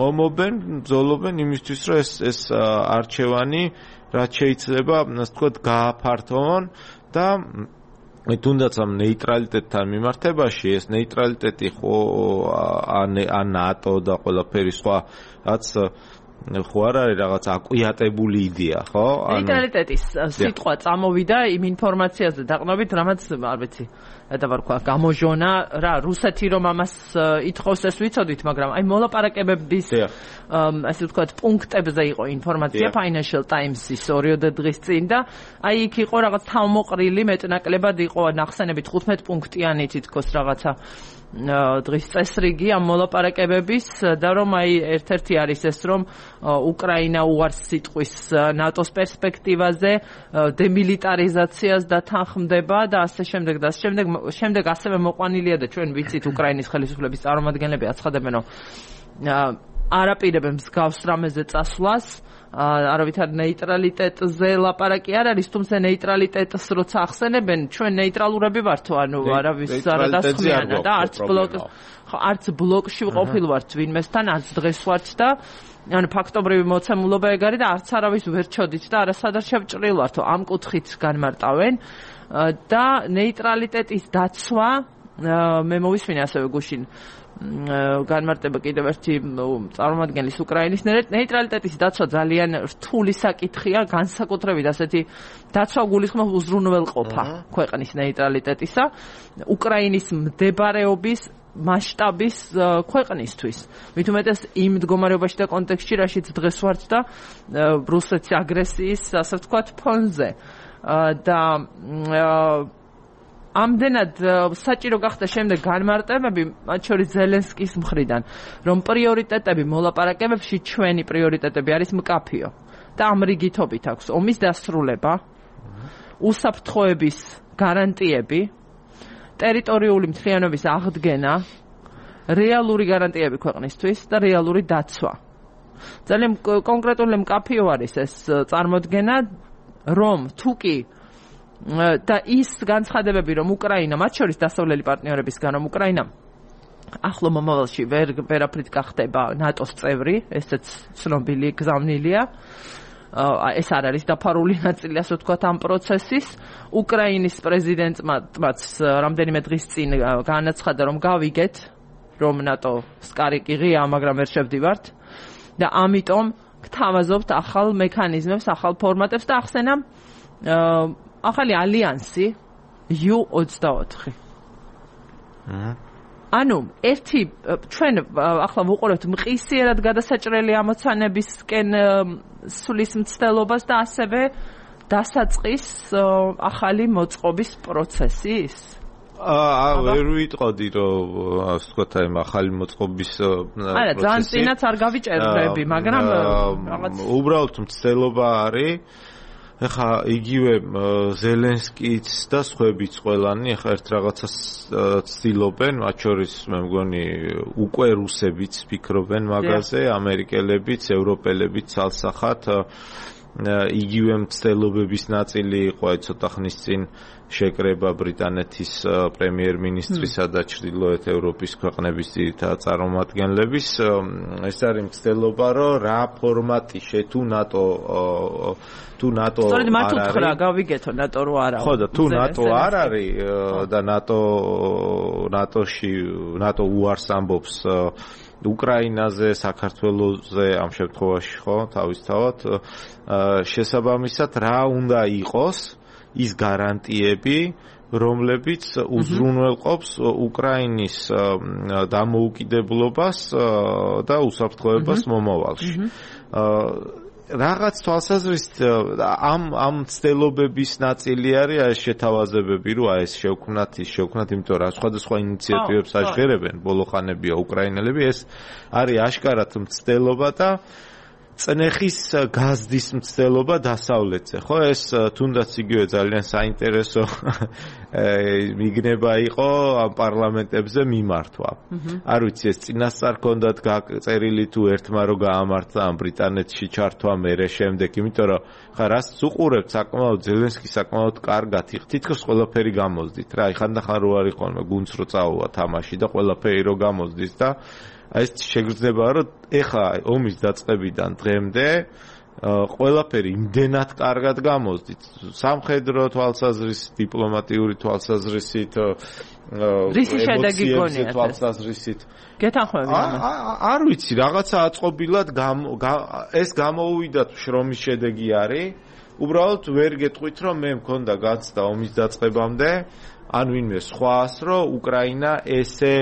ომობენ ბრძოლობენ იმისთვის რომ ეს ეს არჩევანი რაც შეიძლება ასე ვთქვათ გააფართოვონ და თუნდაც ამ ნეიტრალიტეტთან მიმართებაში ეს ნეიტრალიტეტი ხო ან ნატო და ყველაფერი სხვა რაც ხო არ არის რაღაც აკვიატებული იდეა ხო ნეიტრალიტეტის სიტყვა წამოვიდა იმ ინფორმაციაზე დაყნობით რამაც არ ვიცი დავარქვა გამოჟონა რა რუსეთი რომ ამას ითხოვს ეს ვიცოდით მაგრამ აი მოლაპარაკებების ასე ვთქვათ პუნქტებზე იყო ინფორმაცია Financial Times-ის ორიოდე დღის წინ და აი იქ იყო რაღაც თავმოყრილი მეტნაკლებად იყო ნახსენები თხუთმეტ პუნქტიანი თითქოს რაღაცა დღის წესრიგი ამ მოლაპარაკებების და რომ აი ერთ-ერთი არის ეს რომ უკრაინა უარს სიტყვის ნატოს პერსპექტივაზე დემილიტარიზაციას დათანხმდება და ასე შემდეგ და ასე შემდეგ შემდეგ ასევე მოყვანილია და ჩვენ ვიცით უკრაინის ხელისუფლების წარმომადგენლები აცხადებენ რომ არაპირებენ მსგავს რამეზე წასვლას არავითარ ნეიტრალიტეტზე ლაპარაკი არ არის თუმცა ნეიტრალიტეტს როცა ახსენებენ ჩვენ ნეიტრალურები ვართ ანუ არავის არ დასხმიანა და არც ბლოკ არც ბლოკში ვყოფილვართ ვინმესთან არც დღეს ვართ და ანუ ფაქტობრივი მოცემულობა ეგ არის და არც არავის ვერ ჩოდით და არასადარ შევჭრილვართ ამ კუთხით განმარტავენ და ნეიტრალიტეტის დაცვა მე მოვისმინე ასევე გუშინ განმარტება კიდევ ერთი წარმომადგენლის უკრაინის ნეიტრალიტეტის დაცვა ძალიან რთული საკითხია განსაკუთრებით ასეთი დაცვა გულისხმობს უზრუნველყოფა ქვეყნის ნეიტრალიტეტისა უკრაინის მდებარეობის მასშტაბის ქვეყნისთვის მით უმეტეს იმ მდგომარეობაში და კონტექსტში რაშიც დღეს ვართ და რუსეთის აგრესიის ასე ვთქვათ ფონზე და ამდენად საჭირო გახდა შემდეგ განმარტებები, მათ შორის ზელენსკის მხრიდან, რომ პრიორიტეტები მოლაპარაკებებში ჩვენი პრიორიტეტები არის მკაფიო და ამ რიგითობით აქვს ომის დასრულება, უსაფრთხოების გარანტიები, ტერიტორიული მთლიანობის აღდგენა, რეალური გარანტიები ქვეყნისთვის და რეალური დაცვა. ძალიან კონკრეტული მკაფიო არის ეს წარმოდგენა, რომ თუკი და ის განცხადებები, რომ უკრაინა, მათ შორის დასავლელი პარტნიორებისგან, რომ უკრაინა ახლო მომავალში ვერ ვერაფრით გახდება ნატოს წევრი, ესეც ცნობილი გზავნილია. ეს არ არის დაფარული ნაწილი, ასე ვთქვათ, ამ პროცესის. უკრაინის პრეზიდენტმაც რამდენიმე დღის წინ განაცხადა, რომ გავიგეთ, რომ ნატოს კარი კი ღია, მაგრამ ვერ შევდივართ და ამიტომ გთავაზობთ ახალ მექანიზმებს, ახალ ფორმატებს და ახსენა ახალი ალიანსი იუ ოცდაოთხი. ანუ ერთი ჩვენ ახლა ვუყურებთ მყისიერად გადასაჭრელი ამოცანებისკენ სulis მცდელობას და ასევე დასაწყის ახალი მოწყობის პროცესის. აა ვერ ვიტყოდი რომ ასე ვთქვათ აი ახალი მოწყობის პროცესი. არა, ძალიან წინაც არ გავიჭერდები, მაგრამ რაღაც უბრალოდ მცდელობა არის. ეხა იგივე ზელენსკიც და სხვაებიც ყველანი ეხა ერთ რაღაცას ცდილობენ, მათ შორის მე მგონი უკვე რუსებიც ფიქრობენ მაგაზე, ამერიკელებიც, ევროპელებიც ცალსახად იგივე მცდელობების ნაწილი იყო აი ცოტა ხნის წინ შეკრება ბრიტანეთის პრემიერ-მინისტრისა და ჩრდილოეთ ევროპის ქვეყნების ძირითადი წარმომადგენლების. ეს არის მცდელობა, რომ რა ფორმატი შეთუ ნატო თუ ნატო არ არის. სწორედ მათ უთხრა, გავიგეთო ნატო რო არა. ხო და თუ ნატო არ არის და ნატო ნატოში ნატო უარს ამბობს უკრაინაზე, საქართველოზე ამ შემთხვევაში ხო, თავისთავად შესაბამისად რა უნდა იყოს ის გარანტიები, რომლებიც უზრუნველყოფს უკრაინის დამოუკიდებლობას და უსაფრთხოებას მომავალში. რაღაც თვალსაზრისით ამ ამ ცდილობების ნაწილი არის ეს შეთავაზებები, რომ აი ეს შევქმნათ, ის შევქმნათ, იმიტომ რომ სხვადასხვა ინიციატივებს აშხერებენ ბოლოხანებია უკრაინელები, ეს არის აშკარად მცდელობა და წნეხის გაზდის მცდელობა დასავლეთზე. ხო, ეს თუნდაც იგივე ძალიან საინტერესო მიგნება იყო ამ პარლამენტებზე მიმართვა. არ ვიცი, ეს წინასწარ კონდათ გაწერილი თუ ერთმა რო გაამართლა ამ ბრიტანეთში ჩართვა მერე შემდეგ, იმიტომ რომ ხა რაც უყურებთ საკმაოდ ზელენსკი საკმაოდ კარგად იხ თითქოს ყველაფერი გამოზდით რა. ხანდახან რო არის ხოლმე გუნდს რო წაუვა თამაში და ყველაფერი რო გამოზდის და აი ეს შეგრძნება რომ ეხა ომის დაწყებიდან დღემდე ყველაფერი იმდენად კარგად გამოზდით სამხედრო თვალსაზრისით, დიპლომატიური თვალსაზრისით, რისი შედეგი გონიათ თვალსაზრისით. გეთანხმები ამას? არ ვიცი, რაღაცა აწყობილად ეს გამოუვიდათ შრომის შედეგი არის. უბრალოდ ვერ გეტყვით რომ მე მქონდა გაცდა ომის დაწყებამდე, ან ვინმე სხვას რომ უკრაინა ესე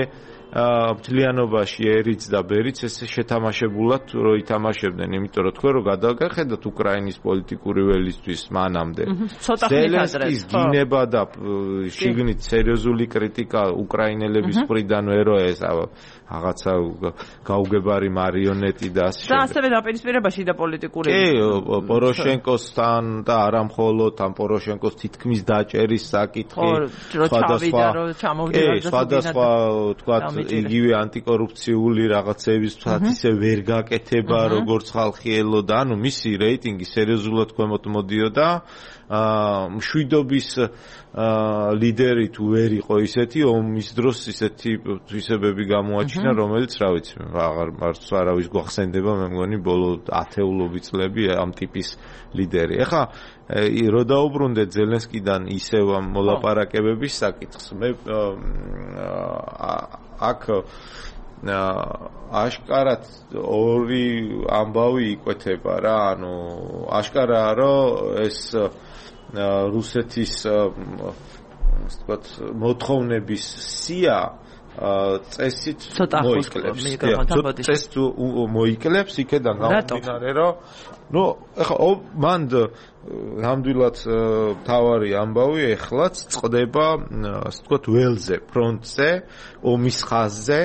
მთლიანობაში ერიც და ბერიც ესე შეთამაშებულად რო ითამაშებდნენ, იმიტომ რომ თქვენ რო გადაგახედოთ უკრაინის პოლიტიკური ველისთვის მანამდე. ზელენსკის გინება და შიგნით სერიოზული კრიტიკა უკრაინელების მხრიდან ვერო ეს რაღაცა გაუგებარი მარიონეტი და ასე და ასევე დაპირისპირებაში და პოლიტიკური კი, პოროშენკოსთან და არა მხოლოდ ამ პოროშენკოს თითქმის დაჭერის საკითხი, სხვადასხვა სხვადასხვა თქვა იგივე ანტიკორუფციული რაღაცების თვათ ისე ვერ გაკეთება, როგორც ხალხი ელოდა, ანუ მისი რეიტინგი სერიოზულად ქვემოთ მოდიოდა. მშვიდობის ლიდერი თუ ვერ იყო ისეთი ომის დროს ისეთი თვისებები გამოაჩინა, რომელიც რა ვიცი, აღარ მარც არავის გვახსენდება, მე მგონი ბოლო ათეულობი წლები ამ ტიპის ლიდერი. ეხა რო დაუბრუნდეთ ზელენსკიდან ისევ ამ მოლაპარაკებების საკითხს, მე აქ აშკარად ორი ამბავი იკვეთება რა, ანუ აშკარაა რომ ეს რუსეთის ვთქვათ მოთხოვნების სია წესით მოიკლებს. წესით მოიკლებს იქედან გამომდინარე რომ ნუ ეხლა მან ნამდვილად თავარი ამბავი ეხლაც წდება ასე ვთქვათ ველზე, ფრონტზე, ომის ხაზზე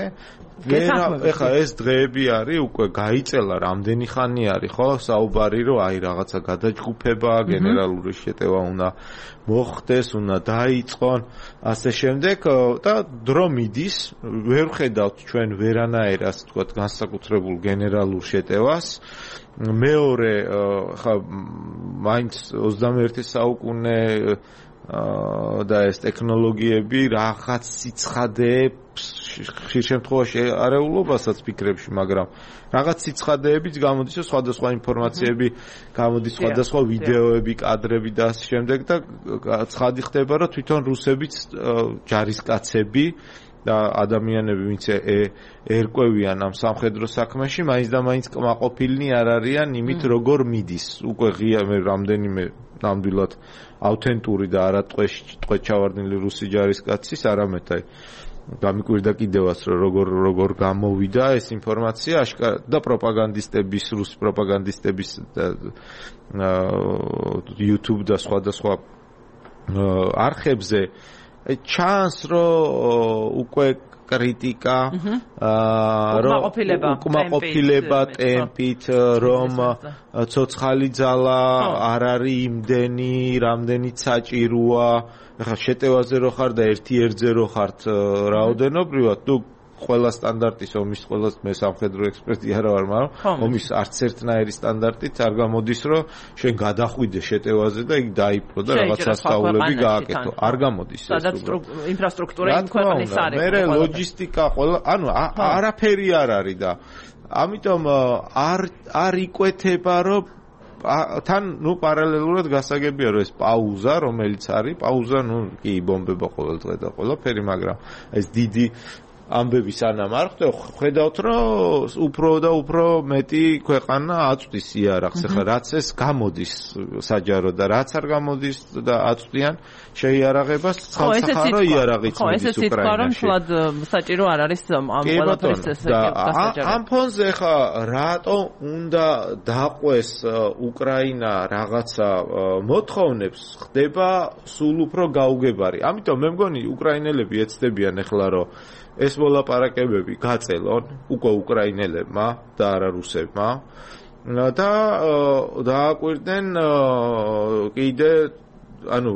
ეხა ეს დღეები არის უკვე გაიწელა რამდენი ხანი არის ხო საუბარი რომ აი რაღაცა გადაჯგუფება გენერალური შეტევა უნდა მოხდეს უნდა დაიწყონ ასე შემდეგ და დრო მიდის ვერ ხედავთ ჩვენ ვერანაირ ასე თქვა განსაკუთრებულ გენერალურ შეტევას მეორე ხა მაინც ოცდამეერთე საუკუნე და ეს ტექნოლოგიები რაღაც სიცხადეებს ხშირ შემთხვევაში არეულობასაც ფიქრებში, მაგრამ რაღაც სიცხადეებიც გამოდის, სხვადასხვა ინფორმაციები გამოდის, სხვადასხვა ვიდეოები, კადრები და ასე შემდეგ და ცხადი ხდება, რომ თვითონ რუსებიც ჯარისკაცები და ადამიანები, ვინც ერკვევიან ამ სამხედრო საქმეში, მაინც და მაინც კმაყოფილნი არ არიან იმით, როგორ მიდის. უკვე ღია მე რამდენიმე ნამდვილად ავთენტური და არა ტყვეში ჩავარდნილი რუსი ჯარისკაცის, არამედ აი გამიკვირდა კიდევაც რომ როგორ როგორ გამოვიდა ეს ინფორმაცია აშკარად და პროპაგანდისტების, რუს პროპაგანდისტების YouTube და სხვადასხვა არხებზე ჩანს რომ უკვე კრიტიკა უკმაყოფილება ტემპით რომ ცოცხალი ძალა არ არის იმდენი რამდენიც საჭიროა ახლა შეტევაზე რო ხარ და ერთი ერთზე რო ხართ რაოდენობრივად თუ ყველა სტანდარტის ომის ყველა მე სამხედრო ექსპერტი არა ვარ მაგრამ ომის არც ერთნაირი სტანდარტით არ გამოდის რომ შენ გადახვიდე შეტევაზე და იქ დაიპყრო და რაღაც სასწაულები გააკეთო არ გამოდის ეს სადაც ინფრასტრუქტურა იმ ქვეყნის არის მე ლოჯისტიკა ყველა ანუ არაფერი არ არის და ამიტომ არ არ იკვეთება რომ თან ნუ პარალელურად გასაგებია რომ ეს პაუზა რომელიც არის პაუზა ნუ კი ბომბება ყოველ დღე და ყველაფერი მაგრამ ეს დიდი ამბები სანამ არ ხდება ხედავთ რომ უფრო და უფრო მეტი ქვეყანა აწვდის იარაღს ახლა რაც ეს გამოდის საჯარო და რაც არ გამოდის და აწვდიან შეიარაღებას ხალხსახარო იარაღიც მიდის უკრაინაში ხო ესეც ითქვა რომ თლად საჭირო არ არის ამ ყველაფერს ეს გასაჯარო ამ ფონზე ახლა რატო უნდა დაყვეს უკრაინა რაღაცა მოთხოვნებს ხდება სულ უფრო გაუგებარი ამიტომ მე მგონი უკრაინელები ეცდებიან ახლა რომ ეს მოლაპარაკებები გაწელონ უკვე უკრაინელებმა და არა რუსებმა და დააკვირდნენ კიდე ანუ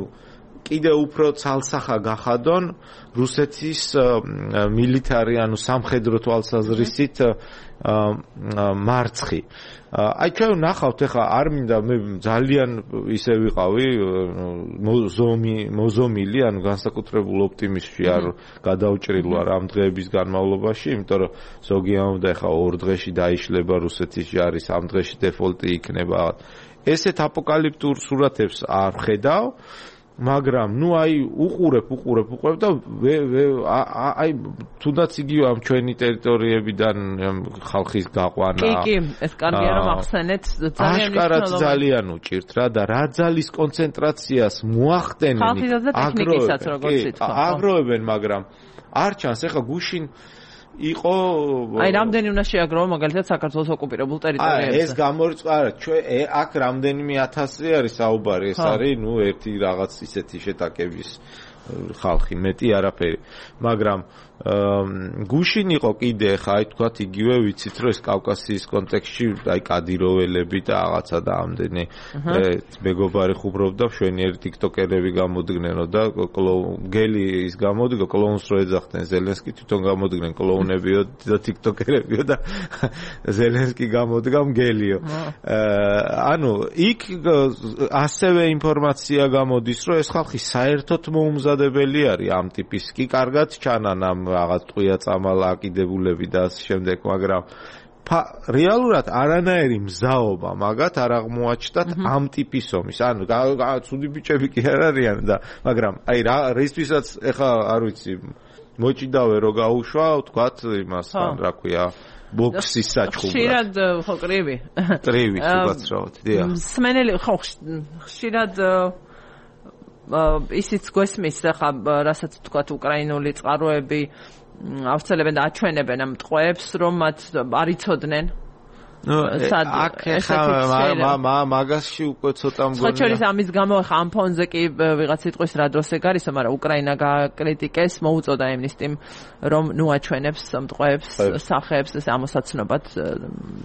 კიდე უფრო ცალსახა გახადონ რუსეთის მილიტარი ანუ სამხედრო თვალსაზრისით მარცხი აი ჩვენ ნახავთ ახლა არ მინდა მე ძალიან ისე ვიყავი მოზომი მოზომილი ანუ განსაკუთრებულ ოპტიმიზმში არ გადაუჭრილო არ ამ დღეების განმავლობაში იმიტომ რომ ზოგი ამბობდა ახლა ორ დღეში დაიშლება რუსეთის ჯარის ამ დღეში დეფოლტი იქნება ესეთ აპოკალიფტურ სურათებს არ ხედავ მაგრამ ნუ აი უყურებ უყურებ უყურებ და აი თუნდაც იგივე ამ ჩვენი ტერიტორიებიდან ხალხის გაყვანა კი კი ეს კარგია რომ ახსენეთ ძალიან აშკარად ძალიან უჭირთ რა და რა ძალის კონცენტრაციას მოახდენენ ხალხისაც და ტექნიკისაც როგორც ითქვა აგროვებენ მაგრამ არ ჩანს ეხა გუშინ იყო აი რამდენი უნდა შეაგროვო მაგალითად საქართველოს ოკუპირებულ ტერიტორიებზე ეს გამორიცხვა არა ჩვენ აქ რამდენიმე ათასი არის საუბარი ეს არის ნუ ერთი რაღაც ისეთი შეტაკების ხალხი მეტი არაფერი მაგრამ გუშინ იყო კიდე ხა აი თქვათ იგივე ვიცით რომ ეს კავკასიის კონტექსტში აი კადიროველები და რაღაცა და ამდენი მეგობარი ხუბრობდა შვენიერი ტიქტოკერები გამოდგნენო და გელი ის გამოდგა კლოუნს რო ეძახდნენ ზელენსკი თვითონ გამოდგნენ კლოუნებიო და ტიქტოკერებიო და ზელენსკი გამოდგა მგელიო ანუ იქ ასევე ინფორმაცია გამოდის რომ ეს ხალხი საერთოდ მოუმზადებელი არის ამ ტიპის კი კარგად ჩანან ამ რაღაც ტყვია წამალა აკიდებულები და ასე შემდეგ, მაგრამ რეალურად არანაირი მზაობა მაგათ არ აღმოაჩნდათ ამ ტიპის ომის. ანუ ცუდი ბიჭები კი არ არიან და მაგრამ აი რა რისთვისაც ეხა არ ვიცი მოჭიდავე რო გაუშვა, ვთქვათ იმას თან რა ქვია ბოქსის საჩხუბრად. ხშირად ხო კრივი. კრივი უგაცრავად, დიახ. სმენელი ხო ხშირად ისიც გვესმის ახლა რასაც თქვათ უკრაინული წყაროები ავრცელებენ და აჩვენებენ ამ ტყვეებს რომ მათ არ იცოდნენ აქ ხა მაგასში უკვე ცოტა მგონია. ხოჩორის ამის გამო ხა ამ ფონზე კი ვიღაც სიტყვის რა დროს ეგარისო, მაგრამ უკრაინა გაკრიტიკეს, მოუწოდა ემნისტიმ რომ ნუ აჩვენებს მტყვეებს, სახეებს ეს ამოსაცნობად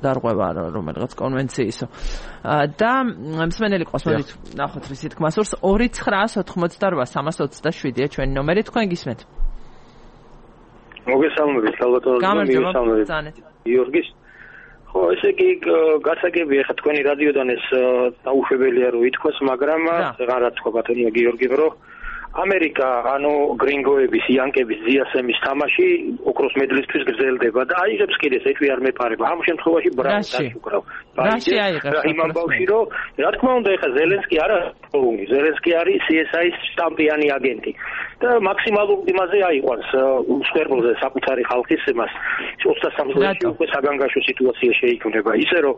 დარღვევა რომელიღაც კონვენციისო. და მსმენელი ყავს, მოდით ნახოთ რის თქმა სურს ორი ცხრაას ოთხმოცდაორვა სამას ოცდაშვიდია ჩვენი ნომერი, თქვენ გისმენთ? მოგესალმებით, ალბათ მოგესალმებით. გიორგის ხო, ესე იგი გასაგებია ხა თქვენი რადიოდან ეს დაუშვებელია რომ ითქვას, მაგრამ რა რა თქვა ბატონო გიორგი, რომ ამერიკა ანუ გრინგოების, იანკების, ძიასემის თამაში ოქროს მედლისთვის გრძელდება და აიღებს კიდეს ეჭვი არ მეპარება. ამ შემთხვევაში ბრavo დაშუკრავ. რაში აიღებს? იმ ამბავში რომ რა თქმა უნდა ეხა ზელენსკი არა პროუნი, ზელენსკი არის სი ეს აის სტამპიანი აგენტი და მაქსიმალურ იმაზე აიყვანს სპერბოზე საკუთარი ხალხის იმას ოცდასამი წელიწადში უკვე საგანგაშო სიტუაცია შეიქმნება ისე რომ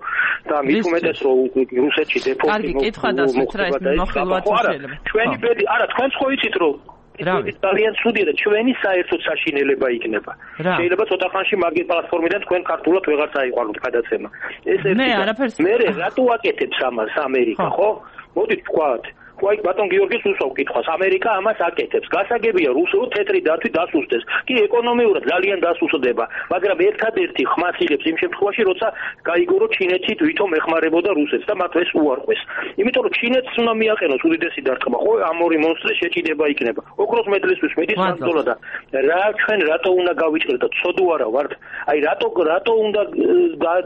და მით უმეტეს რომ რუსეთში დეფოლტი კარგი კითხვა დასვით რა ეს მოხელვათ შეიძლება ჩვენი ბედი არა თქვენც ხო იცით რომ ძალიან ცუდია და ჩვენი საერთოდ საშინელება იქნება შეიძლება ცოტა ხანში მაგის პლატფორმიდან თქვენ ქართულად ვეღარც აიყვანოთ გადაცემა ეს ერთი მე რატო აკეთებს ამას ამერიკა ხო მოდით ვთქვათ ვაი ბატონ გიორგის უსვავ კითხვას ამერიკა ამას აკეთებს გასაგებია რუსულ თეთრი დათვი დასუსტეს კი ეკონომიურად ძალიან დასუსტდება მაგრამ ერთადერთი ხმას იღებს იმ შემთხვევაში როცა გაიგო რომ ჩინეთი თვითონ ეხმარებოდა რუსეთს და მათ ეს უარყვეს იმიტომ რომ ჩინეთს უნდა მიაყენოს უდიდესი დარტყმა ხო ამ ორი მონსტრის შეჭიდება იქნება ოქროს მედლისთვის მიდის ბრძოლა და რა ჩვენ რატო უნდა გავიჭრეთ და ცოდო არა ვართ აი რატო რატო უნდა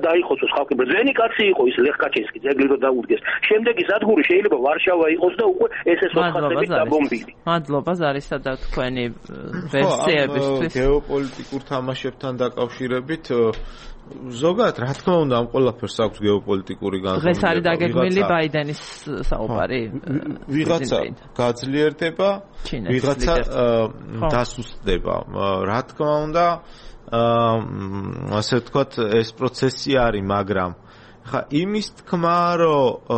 დაიხოცოს ხალხი ბრძენი კაცი იყო ის ლეხ კაჩინსკი ძეგლი რომ დაუდგეს შემდეგი სადგური შეიძლება ვარშავა იყოს უკვე ეს ეს ოთხასდეები დაბომბილი. მადლობა ზარისა და თქვენი ვერსიებისთვის. გეოპოლიტიკურ თამაშებთან დაკავშირებით ზოგადად რა თქმა უნდა ამ ყველაფერს აქვს გეოპოლიტიკური განხილვა. დღეს არის დაგეგმილი ბაიდენის საუბარი. ვიღაცა გაძლიერდება, ვიღაცა დასუსტდება. რა თქმა უნდა ასე ვთქვათ ეს პროცესი არის, მაგრამ ხა იმის თქმა რომ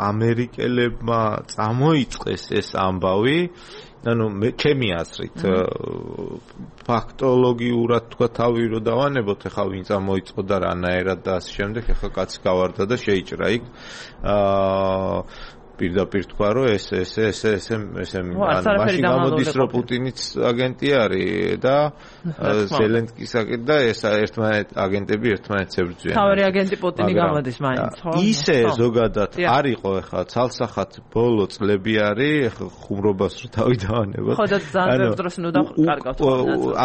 ამერიკელებმა წამოიწყეს ეს ამბავი ანუ მე ჩემი აზრით ფაქტოლოგიურად თქვა თავი რომ დავანებოთ ახლა ვინ წამოიწყო და რანაირად და ასე შემდეგ ახლა კაცი გავარდა და შეიჭრა იქ აა პირდაპირ თქვა რომ ეს ეს ეს ეს ეს ანუ მაშინ გამოდის რომ პუტინიც აგენტი არის და ზელენსკის აგენტი და ეს ერთმანეთ აგენტები ერთმანეთს ებრძვიან. თავი აგენტი პუტინი გამოდის მაინც ხო? ისე ზოგადად არისო ახლა ცალსახად ბოლო წლები არის ახლა ხუმრობას რო თავი დავანებოთ. ხო და ძალიან დროს ნუ დაკარგავთ.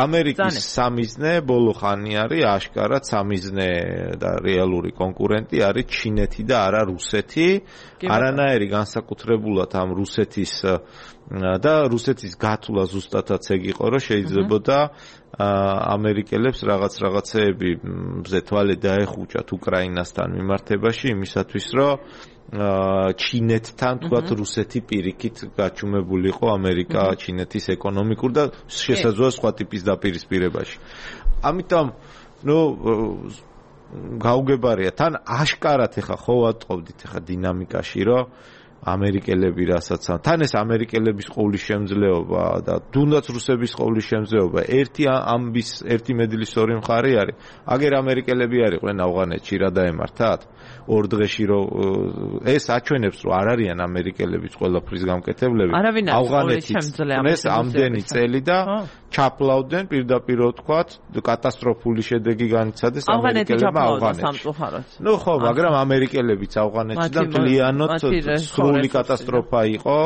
ამერიკის სამიზნე ბოლო ხანი არის აშკარად სამიზნე და რეალური კონკურენტი არის ჩინეთი და არა რუსეთი. არანაირი განსაკუთრებულად ამ რუსეთის და რუსეთის გათვლა ზუსტადაც ეგ იყო რომ შეიძლებოდა ამერიკელებს რაღაც რაღაცეები მზე თვალე დაეხუჭათ უკრაინასთან მიმართებაში იმისათვის რომ ჩინეთთან თქვათ რუსეთი პირიქით გაჩუმებულიყო ამერიკა ჩინეთის ეკონომიკურ და შესაძლოა სხვა ტიპის დაპირისპირებაში. ამიტომ ნუ გაუგებარია თან აშკარად ეხა ხო ვატყობდით ეხა დინამიკაში რომ ამერიკელები რასაც თან ეს ამერიკელების ყოვლის შემძლეობა და თუნდაც რუსების ყოვლის შემძლეობა ერთი ამბის ერთი მედლის ორი მხარე არის აგერ ამერიკელები არიყვნენ ავღანეთში რა დაემართათ ორ დღეში რომ ეს აჩვენებს რომ არ არიან ამერიკელებიც ყველაფრის გამკეთებლები ავღანეთის ეს ამდენი წელი და ჩაფლავდნენ პირდაპირ ვთქვათ კატასტროფული შედეგი განიცადეს ამერიკელებმა ავღანეთში. ნუ ხო, მაგრამ ამერიკელებიც ავღანეთში და მთლიანად სრული კატასტროფა იყო.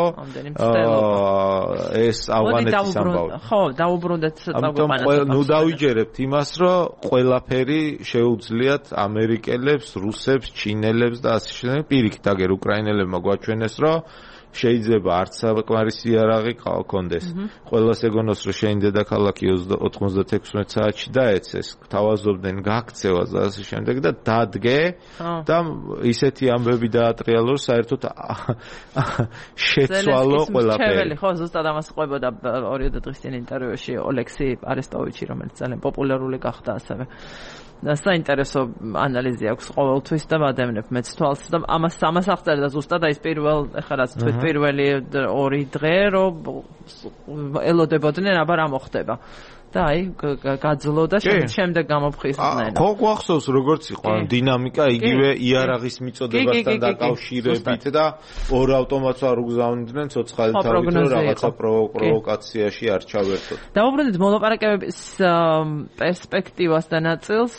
ეს ავღანეთის ამბავი. ხო, დაუბრუნდეთ წაგვიყვანოთ. ნუ დავიჯერებთ იმას, რომ ყველაფერი შეუძლიათ ამერიკელებს, რუსებს, ჩინელებს და ასე შემდეგ პირიქით აგერ უკრაინელებმა გვაჩვენეს, რომ შეიძლება არც საკმარისი იარაღი გქონდეს. ყველას ეგონოს რომ შენ დედაქალაქი ოცდაექვსი საათში დაეცეს, თავაზობდნენ გაქცევას და ასე შემდეგ და დადგე და ისეთი ამბები დაატრიალო რომ საერთოდ შეცვალო ყველაფერი. ხო, ზუსტად ამას ყვებოდა ორი დღის წინ ინტერვიუში ოლექსი არესტოვიჩი, რომელიც ძალიან პოპულარული გახდა ასევე. და საინტერესო ანალიზი აქვს ყოველთვის და ვადევნებ მეც თვალს და ამას ამას აღწერდა და ზუსტად აი ეს პირველ ეხლა რაც თქვით პირველი ორი დღე რომ ელოდებოდნენ აბა რა მოხდება და აი გაძლო და შემდეგ გამოფხიზნენ. ხო გვახსოვს როგორც იყო ამ დინამიკა იგივე იარაღის მიწოდებასთან დაკავშირებით და ორ ავტომატს არ უგზავნიდნენ ცოცხალი თავით რომ რაღაცა პროვოკაციაში არ ჩავერთოთ. დავუბრუნდით მოლაპარაკებების პერსპექტივას და ნაწილს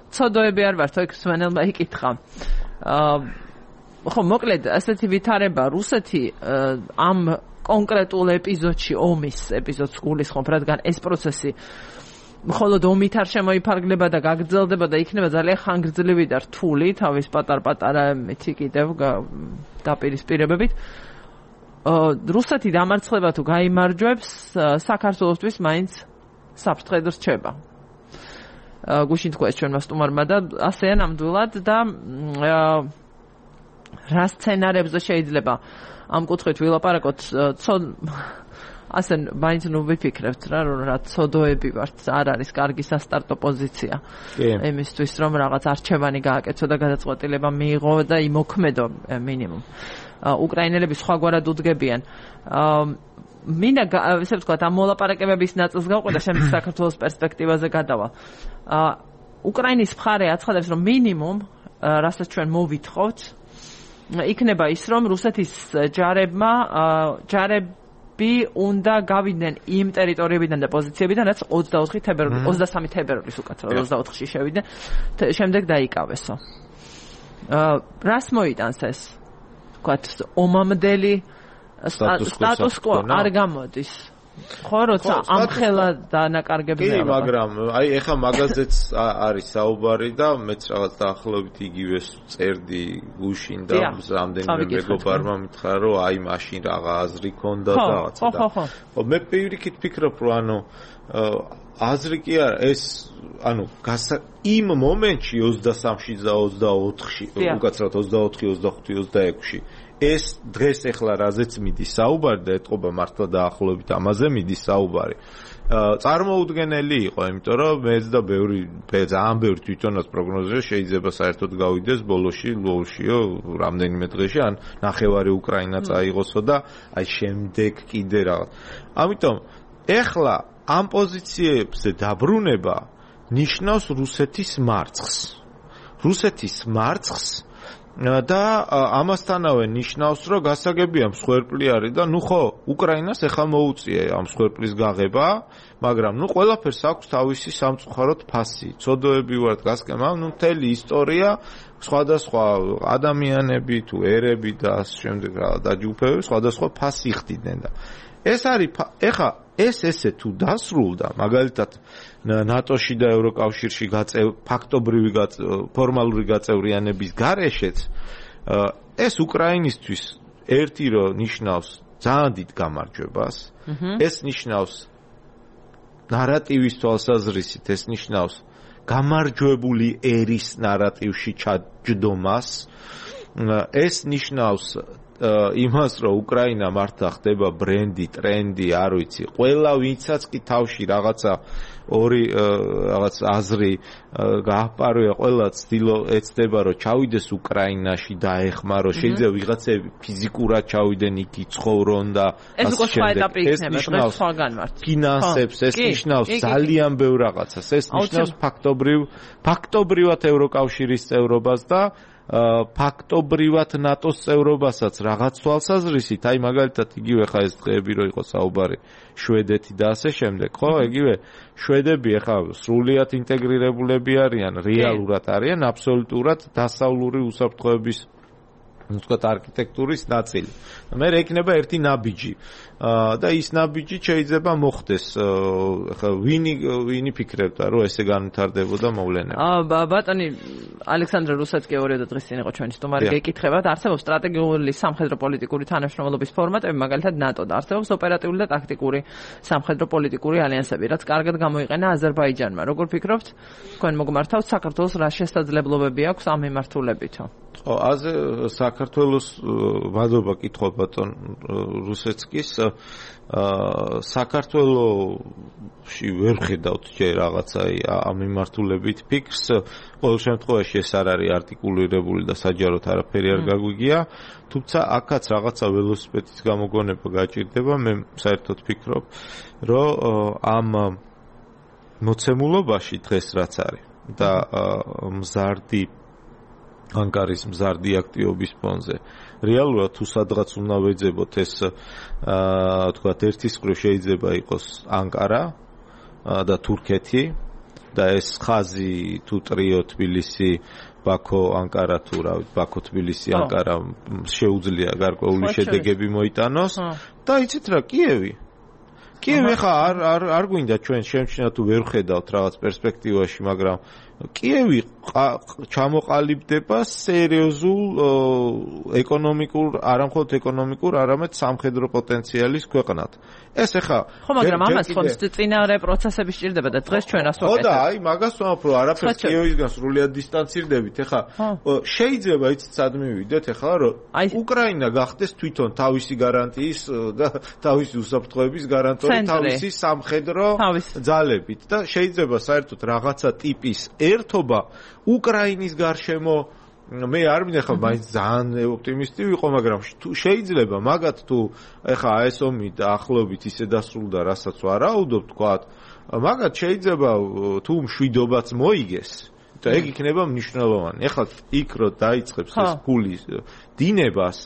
ცოდოები არ ვართ, იქ სვენელმა იკითხა. ხო, მოკლედ, ასეთი ვითარება რუსეთი ამ კონკრეტულ ეპიზოდში, ომის ეპიზოდს გულისხმობ, რადგან ეს პროცესი მხოლოდ ომით არ შემოიფარგლება და გაგრძელდება და იქნება ძალიან ხანგრძლივი და რთული, თავის პატარ-პატარა მითი კიდევ დაპირისპირებებით. რუსეთი დამარცხება თუ გაიმარჯვებს, საქართველოსთვის მაინც საფრთხედ რჩება. გუშინ თქვა ჩვენმა სტუმარმა და ასეა ნამდვილად და რა სცენარებზე შეიძლება ამ კუთხით ვილაპარაკოთ, ასე მაინც ნუ ვიფიქრებთ რა, რომ რა ცოდოები ვართ, არ არის კარგი სასტარტო პოზიცია. იმისთვის რომ რაღაც არჩევანი გააკეთო და გადაწყვეტილება მიიღო და იმოქმედო მინიმუმ. უკრაინელები სხვაგვარად უდგებიან. მინდა ესე ვთქვათ, ამ მოლაპარაკებების ნაწილს გავყვე და შემდეგ საქართველოს პერსპექტივაზე გადავალ. უკრაინის მხარე აცხადებს, რომ მინიმუმ, რასაც ჩვენ მოვითხოვთ, იქნება ის, რომ რუსეთის ჯარებმა ჯარები უნდა გავიდნენ იმ ტერიტორიებიდან და პოზიციებიდან, რაც ოცდაოთხი თებერვლის, ოცდასამი თებერვლის უკაცრავად ოცდაოთხში შევიდნენ, შემდეგ დაიკავესო. რას მოიტანს ეს? ვთქვათ, ომამდელი სტატუს კვო არ გამოდის. ხო, როცა ამხელა დანაკარგებია. კი, მაგრამ აი ეხა მაგაზეც არის საუბარი და მეც რაღაც დაახლოებით იგივე წერდი გუშინ და რამდენიმე მეგობარმა მითხრა, რომ აი მაშინ რაღა აზრი ქონდა და რაღაცა. ხო, ხო, ხო. ხო, მე პირიქით ფიქრობ, რომ ანუ აზრი კი არა, ეს ანუ იმ მომენტში ოცდასამში და ოცდაოთხში, უკაცრავად ოცდაოთხი, ოცდახუთი, ოცდაექვსში ეს დღეს ეხლა რაზეც მიდის საუბარი და ეთყობა მართლა დაახლოებით ამაზე მიდის საუბარი. წარმოუდგენელი იყო, იმიტომ რომ მეც და ბევრი ძალიან ბევრი თვითონაც პროგნოზია შეიძლება საერთოდ გავიდეს ბოლოში, ბოლშიო რამდენიმე დღეში ან ნახევარი უკრაინა წაიღოსო და აი შემდეგ კიდე რაღაც. ამიტომ ეხლა ამ პოზიციებზე დაბრუნება ნიშნავს რუსეთის მარცხს. რუსეთის მარცხს და ამასთანავე ნიშნავს, რომ გასაგებია მსხვერპლი არის და ნუ ხო, უკრაინას ეხლა მოუწია ამ მსხვერპლის გაღება, მაგრამ ნუ ყველაფერს აქვს თავისი სამწუხაროდ ფასი. ცოდოები ვართ გასკემა, ნუ მთელი ისტორია, სხვადასხვა ადამიანები თუ ერები და ამ შემდეგ რა დაჯგუფებები სხვადასხვა ფასი ხდიდნენ და ეს არის ეხლა ეს ესე თუ დასრულდა, მაგალითად ნატოში და ევროკავშირში გაწევ ფაქტობრივი ფორმალური გაწევრიანების გარეშეც ეს უკრაინისთვის ერთი რო ნიშნავს ძალიან დიდ გამარჯვებას, ეს ნიშნავს ნარატივის თვალსაზრისით, ეს ნიშნავს გამარჯვებული ერის ნარატივში ჩაჯდომას, ეს ნიშნავს იმას, რომ უკრაინა მართლა ხდება ბრენდი, ტრენდი, არ ვიცი, ყველა ვინცაც კი თავში რაღაცა ორი რაღაც აზრი გააყაროა, ყველა ცდილო ეცდება, რომ ჩავიდეს უკრაინაში და ეხმარო, შეიძლება ვიღაცები ფიზიკურად ჩავიდნენ იქ იცხოვრონ და ეს უკვე სხვა ეტაპი იქნება, ეს სხვაგან ვართ. ფინანსებს, ეს ნიშნავს ძალიან ბევრ რაღაცას, ეს ნიშნავს ფაქტობრივ ფაქტობრივად ევროკავშირის წევრობას და ფაქტობრივად ნატოს წევრობასაც რაღაც თვალსაზრისით, აი მაგალითად იგივე ხა ეს დღეები რო იყო საუბარი შვედეთი და ასე შემდეგ, ხო, იგივე შვედები ხა სრულიად ინტეგრირებულები არიან, რეალურად არიან აბსოლუტურად დასავლური უსაფრთხოების ну сказать არქიტექტურის ნაწილი. მე რეკნება ერთი ნაბიჯი და ის ნაბიჯი შეიძლება მოხდეს. ხა ვინი ვინი ფიქრებდა რომ ესე განვითარდებოდა მოვლენა. აა ბატონი ალექსანდრე რუსეთკი ორი დღის წინ იყო ჩვენი სტუმარი, გეკითხებათ, არსებობს სტრატეგიული სამხედრო პოლიტიკური თანამშრომლობის ფორმატები, მაგალითად ნატო და არსებობს ოპერატიული და ტაქტიკური სამხედრო პოლიტიკური ალიანსები, რაც კარგად გამოიყენა აზერბაიჯანმა. როგორ ფიქრობთ, თქვენ მოგმართავთ საქართველოს რა შესაძლებლობები აქვს ამ მიმართულებითო? ხო, აზე საქართველოს მადლობა კითხვა ბატონ რუსეცკის საქართველოში ვერ ხედავთ ჯერ რაღაცა ამ მიმართულებით ფიქრს, ყოველ შემთხვევაში ეს არ არის არტიკულირებული და საჯაროდ არაფერი არ გაგვიგია, თუმცა აქაც რაღაცა ველოსიპედის გამოგონება გაჭირდება, მე საერთოდ ფიქრობ, რომ ამ მოცემულობაში დღეს რაც არის და მზარდი ანკარის მზარდი აქტივობის ფონზე რეალურად თუ სადღაც უნდა ვეძებოთ ეს აა თქვათ ერთის მხრივ შეიძლება იყოს ანკარა და თურქეთი და ეს ხაზი თუ ტრიო თბილისი ბაქო ანკარა თუ რა ვიცი ბაქო თბილისი ანკარა შეუძლია გარკვეული შედეგები მოიტანოს და იცით რა კიევი კიევი ხა არ არ არ გვინდა ჩვენ შემჩნია თუ ვერ ხედავთ რაღაც პერსპექტივაში მაგრამ კიევი ჩამოყალიბდება სერიოზულ ეკონომიკურ, არამხოლოდ ეკონომიკურ, არამედ სამხედრო პოტენციალის ქვეყნად. ეს ახლა ხო, მაგრამ ამას ხომ წინარე პროცესები სჭირდება და დღეს ჩვენ ასე ვაკეთებთ. ხო და აი, მაგას ვამბობ, რომ არაფერს კიევისგან სრულიად დისტანცირდებით. ახლა შეიძლება იცით სად მივიდეთ ახლა, რომ უკრაინა გახდეს თვითონ თავისი გარანტიის და თავისი უსაფრთხოების გარანტორი თავისი სამხედრო ძალებით და შეიძლება საერთოდ რაღაცა ტიპის ერთობა უკრაინის გარშემო მე არ მინდა ხა მაინც ძალიან ოპტიმისტი ვიყო მაგრამ შეიძლება მაგათ თუ ეხა ეს ომი და ახლობით ისე დასრულდა რასაც ვარაუდობ თქვათ მაგათ შეიძლება თუ მშვიდობაც მოიგეს და ეგ იქნება მნიშვნელოვანი ეხლა იქ რო დაიწყებს ეს ფულის დინებას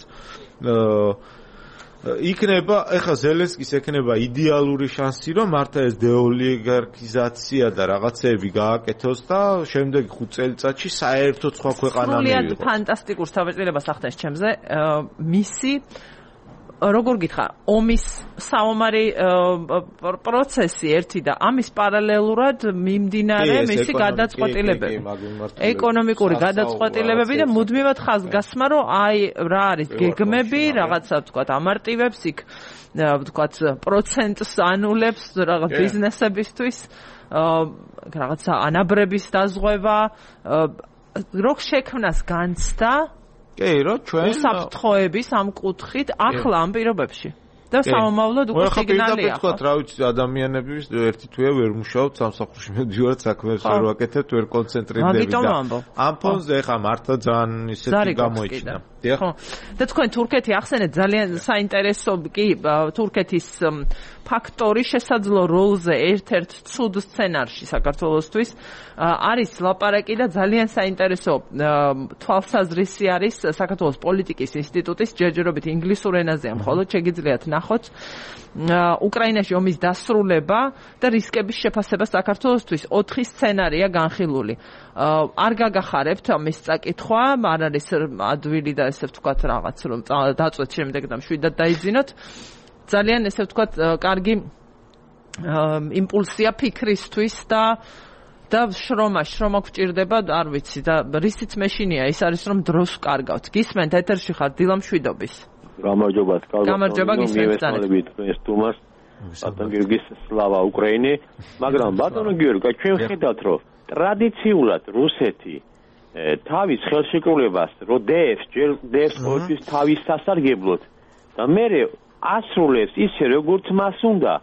იქნება ეხა ზელენსკის ექნება იდეალური შანსი რომ მართლა ეს დეოლიგარქიზაცია და რაღაცეები გააკეთოს და შემდეგ ხუთ წელიწადში საერთოდ სხვა ქვეყანა მივიღოს. სრულიად ფანტასტიკურ საბჭირებას ახდენს ჩემზე მისი როგორ გითხრა ომის საომარი პროცესი ერთი და ამის პარალელურად მიმდინარე მისი გადაწყვეტილებები ეკონომიკური გადაწყვეტილებები და მუდმივად ხაზგასმა რომ აი რა არის გეგმები რაღაცა ვთქვათ ამარტივებს იქ ვთქვათ პროცენტს ანულებს რაღაც ბიზნესებისთვის რაღაცა ანაბრების დაზღვევა რო შექმნას განცდა კი, რო ჩვენ საფრთხოების ამ კუთხით ახლა ამ პირობებში. და სამომავლოდ უკვე სიგნალია. ხო, რა ვიცი, ადამიანების ერთი თვეა ვერ მუშაობთ სამსახურში, მედიურად საქმეს ვერ ვაკეთებთ, ვერ კონცენტრირდებით და ამ ფონზე ხა მართლა ძალიან ისეთი გამოიჩინა. ხო. და თქვენ თურქეთი ახსენეთ ძალიან საინტერესო კი თურქეთის ფაქტორი შესაძლო როლზე ერთ-ერთ ცუდ სცენარში საქართველოსთვის არის ლაპარაკი და ძალიან საინტერესო თვალსაზრისი არის საქართველოს პოლიტიკის ინსტიტუტის ჯერჯერობით ინგლისურ ენაზეა მხოლოდ შეგიძლიათ ნახოთ უკრაინაში ომის დასრულება და რისკების შეფასება საქართველოსთვის ოთხი სცენარია განხილული. არ გაგახარებთ ამის წაკითხვა, არ არის ადვილი და ესე ვთქვათ რაღაც რომ დაწვეთ შემდეგ და მშვიდად დაიძინოთ. ძალიან ესე ვთქვათ კარგი იმპულსია ფიქრისთვის და და შრომა შრომა გვჭირდება არ ვიცი და რისიც მეშინია ის არის რომ დროს ვკარგავთ. გისმენთ ეთერში ხარ დილამშვიდობის. გამარჯობა თქალ. გამარჯობა გისმენთ. ეს თუმას ბატონ გიორგის სლავა უკრაინე. მაგრამ ბატონ გიორგი, ჩვენ ხედავთ რომ ტრადიციულად რუსეთი თავის ხელშეკრულებას რო დევს, ჯერ დევს ყოველთვის თავის სასარგებლოდ და მე ასრულებს ისე როგორც მას უნდა.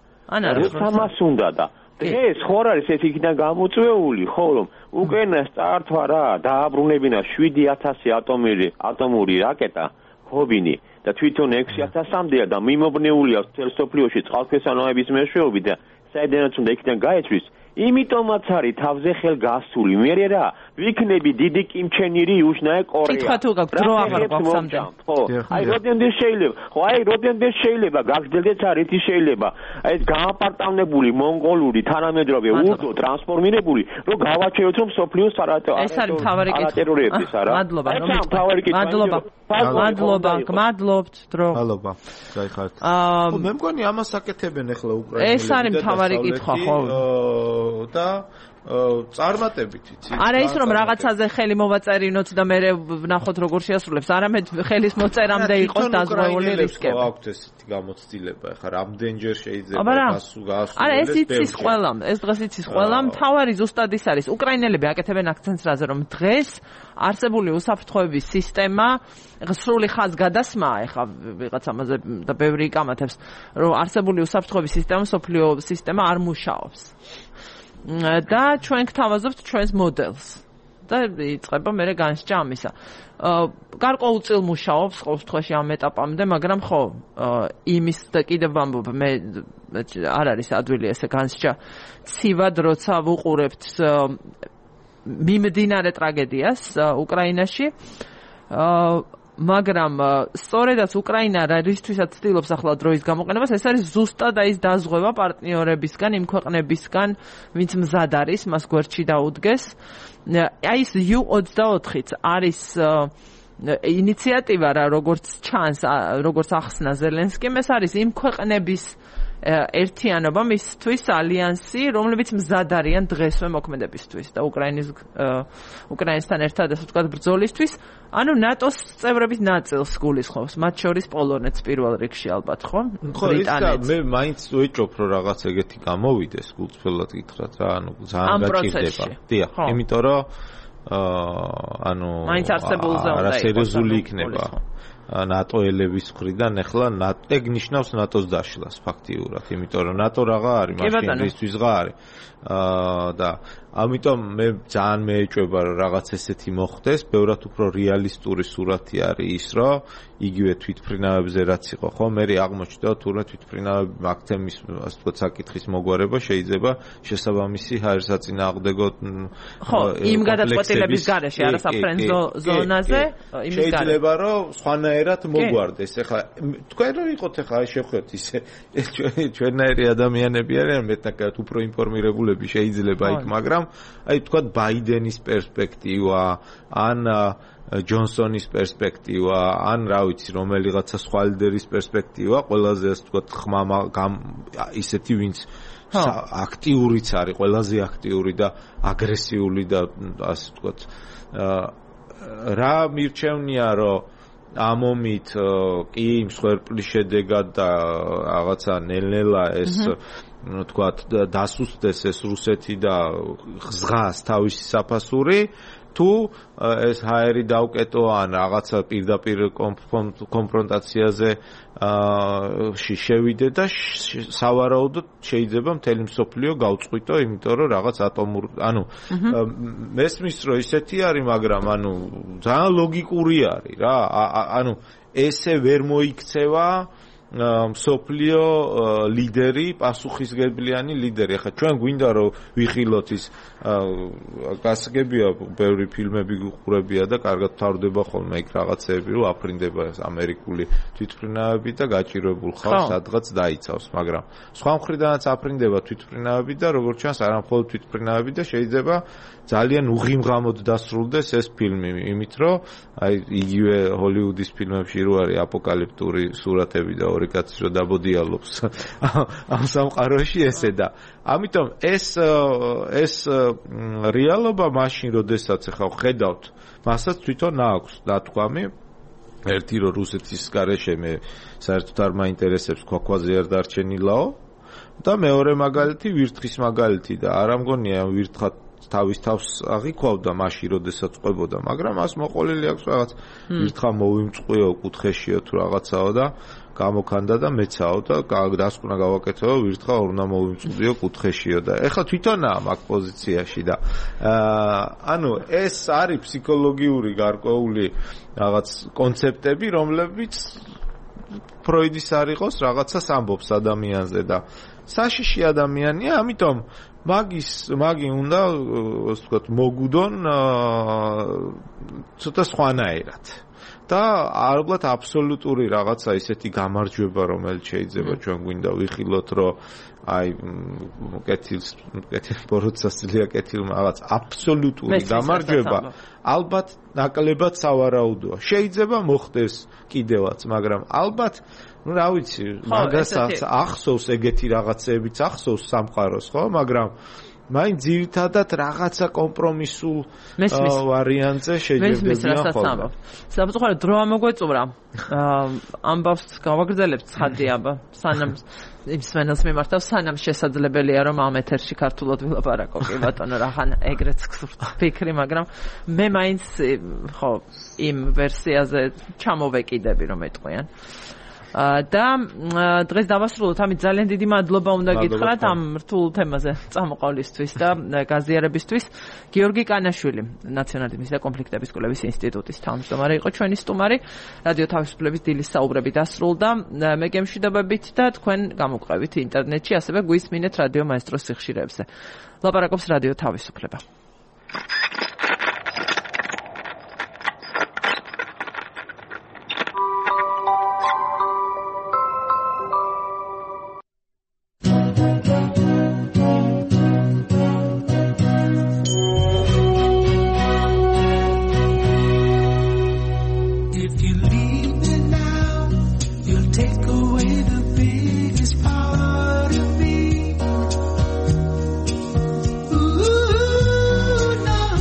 როცა მას უნდა და დღეს ხარ არის ეს იქიდან გამოწვეული, ხო რომ უკრაინას წართვა რა, დააბრუნებინა შვიდი ათასი ატომური ატომური რაკეტა ჰობინი და თვითონ ექვსი ათასამდეა და მიმობნეულია მთელ სოფლიოში წყალქვეშანოების მეშვეობით და საიდანაც უნდა იქიდან გაეცვის. იმიტომაც არის თავზე ხელ გასული. მე რა ვიქნები დიდი კიმჩენირი უშნაე კორეა. კითხვა თუ გაქვს დრო აღარ გვახსამდე. ხო. აი როდენდე შეიძლება. ხო აი როდენდე შეიძლება გაგრძელდეს არის ის შეიძლება. აი ეს გააპარტავნებული მონღოლური თანამედროვე ურდო ტრანსფორმირებული რომ გავაჩეროთ რომ სოფლიოს არატო ეს არის მთავარი კითხვა. ტერორიების არა. მადლობა. მადლობა. მადლობა. გმადლობთ დრო. მადლობა. გაიხარეთ. ხო მე მგონი ამას აკეთებენ ახლა უკრაინელები. ეს არის მთავარი კითხვა ხო. და წარმატებით იცით. არა ის რომ რაღაცაზე ხელი მოვაწერინოთ და მე ვნახოთ როგორ შეასრულებს, არამედ ხელის მოწერამდე იყოს დაზღვეული რისკები. აქვთ ესეთი გამოცდილება, ეხლა რამდენჯერ შეიძლება გასულ არა ეს იცის ყველამ, ეს დღეს იცის ყველამ, თავარი ზუსტად ის არის. უკრაინელები აკეთებენ აქცენტს რაზე, რომ დღეს არსებული უსაფრთხოების სისტემა, ეხლა სრული ხაზგადასმა, ეხლა ვიღაც ამაზე და ბევრი იკამათებს, რომ არსებული უსაფრთხოების სისტემა, სოფლიო სისტემა არ მუშაობს. და ჩვენ გთავაზობთ ჩვენს მოდელს და იწყება მე განსჯა ამისა. გარკვეულწილ მუშაობს ყოველ შემთხვევაში ამ ეტაპამდე, მაგრამ ხო, იმის და კიდევ ვამბობ, მე არ არის ადვილი ესე განსჯა. ცივად როცა ვუყურებთ მიმდინარე ტრაგედიას უკრაინაში, მაგრამ სწორედაც უკრაინა რისთვისაც ცდილობს ახლა დროის გამოყენებას, ეს არის ზუსტად აი ეს დაზღვევა პარტნიორებისგან, იმ ქვეყნებისგან, ვინც მზად არის მას გვერდში დაუდგეს. აი ეს იუ ოცდაოთხიც არის ინიციატივა რა, როგორც ჩანს, როგორც ახსნა ზელენსკიმ, ეს არის იმ ქვეყნების ერთიანობა, მისთვის ალიანსი, რომლებიც მზად არიან დღესვე მოქმედებისთვის და უკრაინის უკრაინასთან ერთად ასე ვთქვათ ბრძოლისთვის, ანუ ნატოს წევრების ნაწილს გულისხმობს, მათ შორის პოლონეთს პირველ რიგში ალბათ, ხო? ხო, ის და მე მაინც ვეჭობ რომ რაღაც ეგეთი გამოვიდეს, გულწრფელად გითხრათ რა, ანუ ძალიან გაჭირდება. დიახ, იმიტომ რომ ანუ მაინც არსებულზე უნდა იყოს სერიოზული იქნება. ნატოელების მხრიდან ეხლა ეგ ნიშნავს ნატოს დაშლას ფაქტიურად, იმიტომ რომ ნატო რაღა არის, მაშინ რისთვისღა არის. და ამიტომ მე ძალიან მეეჭვება რომ რაღაც ესეთი მოხდეს, ბევრად უფრო რეალისტური სურათი არის ის, რომ იგივე თვითმფრინავებზე რაც იყო, ხო, მე აღმოჩნდა თურმე თვითმფრინავები მაგთემის ასე ვთქვათ საკითხის მოგვარება შეიძლება შესაბამისი ჰაერსაწინააღმდეგო ხო, იმ გადაწყვეტილების გარეშე, არა საფრენზო ზონაზე, იმის გარეშე. შეიძლება რომ სხვანაირად მოგვარდეს. ეხლა თქვენ რომ იყოთ ეხლა შევხვდეთ ისე ჩვენნაირი ადამიანები არიან მეტნაკლებად უფრო ინფორმირებულები შეიძლება იქ, მაგრამ აი თქვა ბაიდენის პერსპექტივა, ან ჯონსონის პერსპექტივა, ან რა ვიცი, რომელიღაცა სხვა ლიდერის პერსპექტივა, ყველაზე ასე თქვა ხმა ისეთი ვინც აქტიურიც არის, ყველაზე აქტიური და აგრესიული და ასე თქვა რა მირჩევნია, რომ ამომით კი იმ სვერპლის შედეგად და რაღაცა ნელ-ნელა ეს თქვა დასუსტდეს ეს რუსეთი და ღზღას თავისი საფასური, თუ ეს ჰაერი დავკეტო ან რაღაცა პირდაპირ კონფრონტაციაზე შევიდე და სავარაუდოდ შეიძლება მთელი მსოფლიო გავწყვიტო, იმიტომ რომ რაღაც ატომურ, ანუ მესმის რომ ისეთი არის, მაგრამ ანუ ძალიან ლოგიკური არის რა, ანუ ესე ვერ მოიქცევა მსოფლიო ლიდერი, პასუხისგებლიანი ლიდერი. ახლა ჩვენ გვინდა რომ ვიხილოთ ის გასაგებია, ბევრი ფილმები გიყურებია და კარგად თავდება ხოლმე იქ რაღაცეები, რომ აფრინდება ამერიკული თვითმფრინავები და გაჭირვებულ ხალხს სადღაც დაიცავს, მაგრამ სხვა მხრიდანაც აფრინდება თვითმფრინავები და როგორც ჩანს არა მხოლოდ თვითმფრინავები და შეიძლება ძალიან უღიმღამოდ დასრულდეს ეს ფილმი, იმით რომ აი იგივე ჰოლივუდის ფილმებში რო არის აპოკალიფტური სურათები და ორი კაცი რო დაბოდიალობს ამ სამყაროში ესე და ამიტომ ეს ეს რეალობა მაშინ როდესაც ახლა ხედავთ, მასაც თვითონ აქვს დათქვამი ერთი რომ რუსეთის გარეშე მე საერთოდ არ მაინტერესებს ქვაქვაზე არ დარჩენილაო და მეორე მაგალითი ვირთხის მაგალითი და არ ამგონია ვირთხა თავის თავს აღიქვავდა მაშინ როდესაც ყვებოდა, მაგრამ მას მოყოლილი აქვს რაღაც ვირთხა მოვიმწყუიო კუთხეშიო თუ რაღაცაო და გამოქანდა და მეცაო და დასკვნა გავაკეთო ვირთხა უნდა მოვიმწყუიო კუთხეშიო და ეხლა თვითონაა მაგ პოზიციაში და ანუ ეს არის ფსიქოლოგიური გარკვეული რაღაც კონცეპტები, რომლებიც ფროიდის არ იყოს რაღაცას ამბობს ადამიანზე და საშიში ადამიანია, ამიტომ მაგის მაგი უნდა ასე ვთქვათ მოგუდონ ცოტა სხვანაირად და ალბათ აბსოლუტური რაღაცა ისეთი გამარჯვება, რომელიც შეიძლება ჩვენ გვინდა ვიხილოთ, რომ აი კეთილს კეთილ ბოროტსასილია კეთილმა რაღაც აბსოლუტური გამარჯვება ალბათ ნაკლებად სავარაუდოა. შეიძლება მოხდეს კიდევაც, მაგრამ ალბათ ну რა ვიცი, მაგასაც ახსოვს ეგეთი რაღაცეებიც ახსოვს სამყაროს, ხო, მაგრამ მაინც ძირითადად რაღაცა კომპრომისულ ვარიანტზე შეჯერდებიან ხოლმე. სამწუხაროდ დრო ამოგვეწურა. ამბავს გავაგრძელებთ ცხადია, სანამ იმ სვენელს მიმართავს, სანამ შესაძლებელია რომ ამ ეთერში ქართულად ვილაპარაკო, კი ბატონო, რახან ეგრეც ვფიქრი, მაგრამ მე მაინც ხო იმ ვერსიაზე ჩამოვეკიდები რომ ეტყვიან. და დღეს დავასრულოთ ამით ძალიან დიდი მადლობა უნდა გითხრათ ამ რთულ თემაზე წამოყოლისთვის და გაზიარებისთვის. გიორგი კანაშვილი, ნაციონალიზმის და კონფლიქტების კვლევის ინსტიტუტის თავმჯდომარე იყო ჩვენი სტუმარი. რადიო თავისუფლების დილის საუბრები დასრულდა. მე გემშვიდობებით და თქვენ გამოგვყევით ინტერნეტში, ასევე გვისმინეთ რადიო მაესტროს სიხშირეებზე. ლაპარაკობს რადიო თავისუფლება. Ooh, no.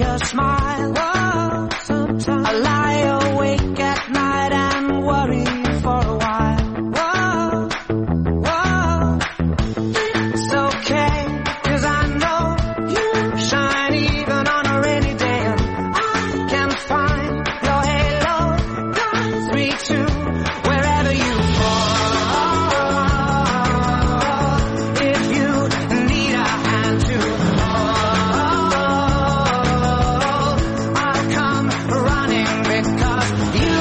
your smile. Whoa, sometimes I lie awake at night and worry for a while. Whoa, whoa, it's okay, 'cause I know you shine even on a rainy day, and I can find your halo guides me to wherever you fall. If you need a hand to hold, I'll come running, because you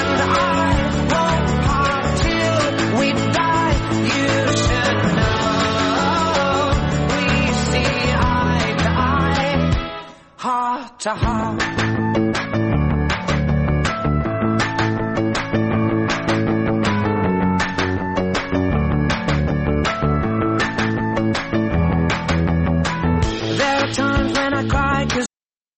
and I won't part till we die. You should know we see eye to eye, heart to heart.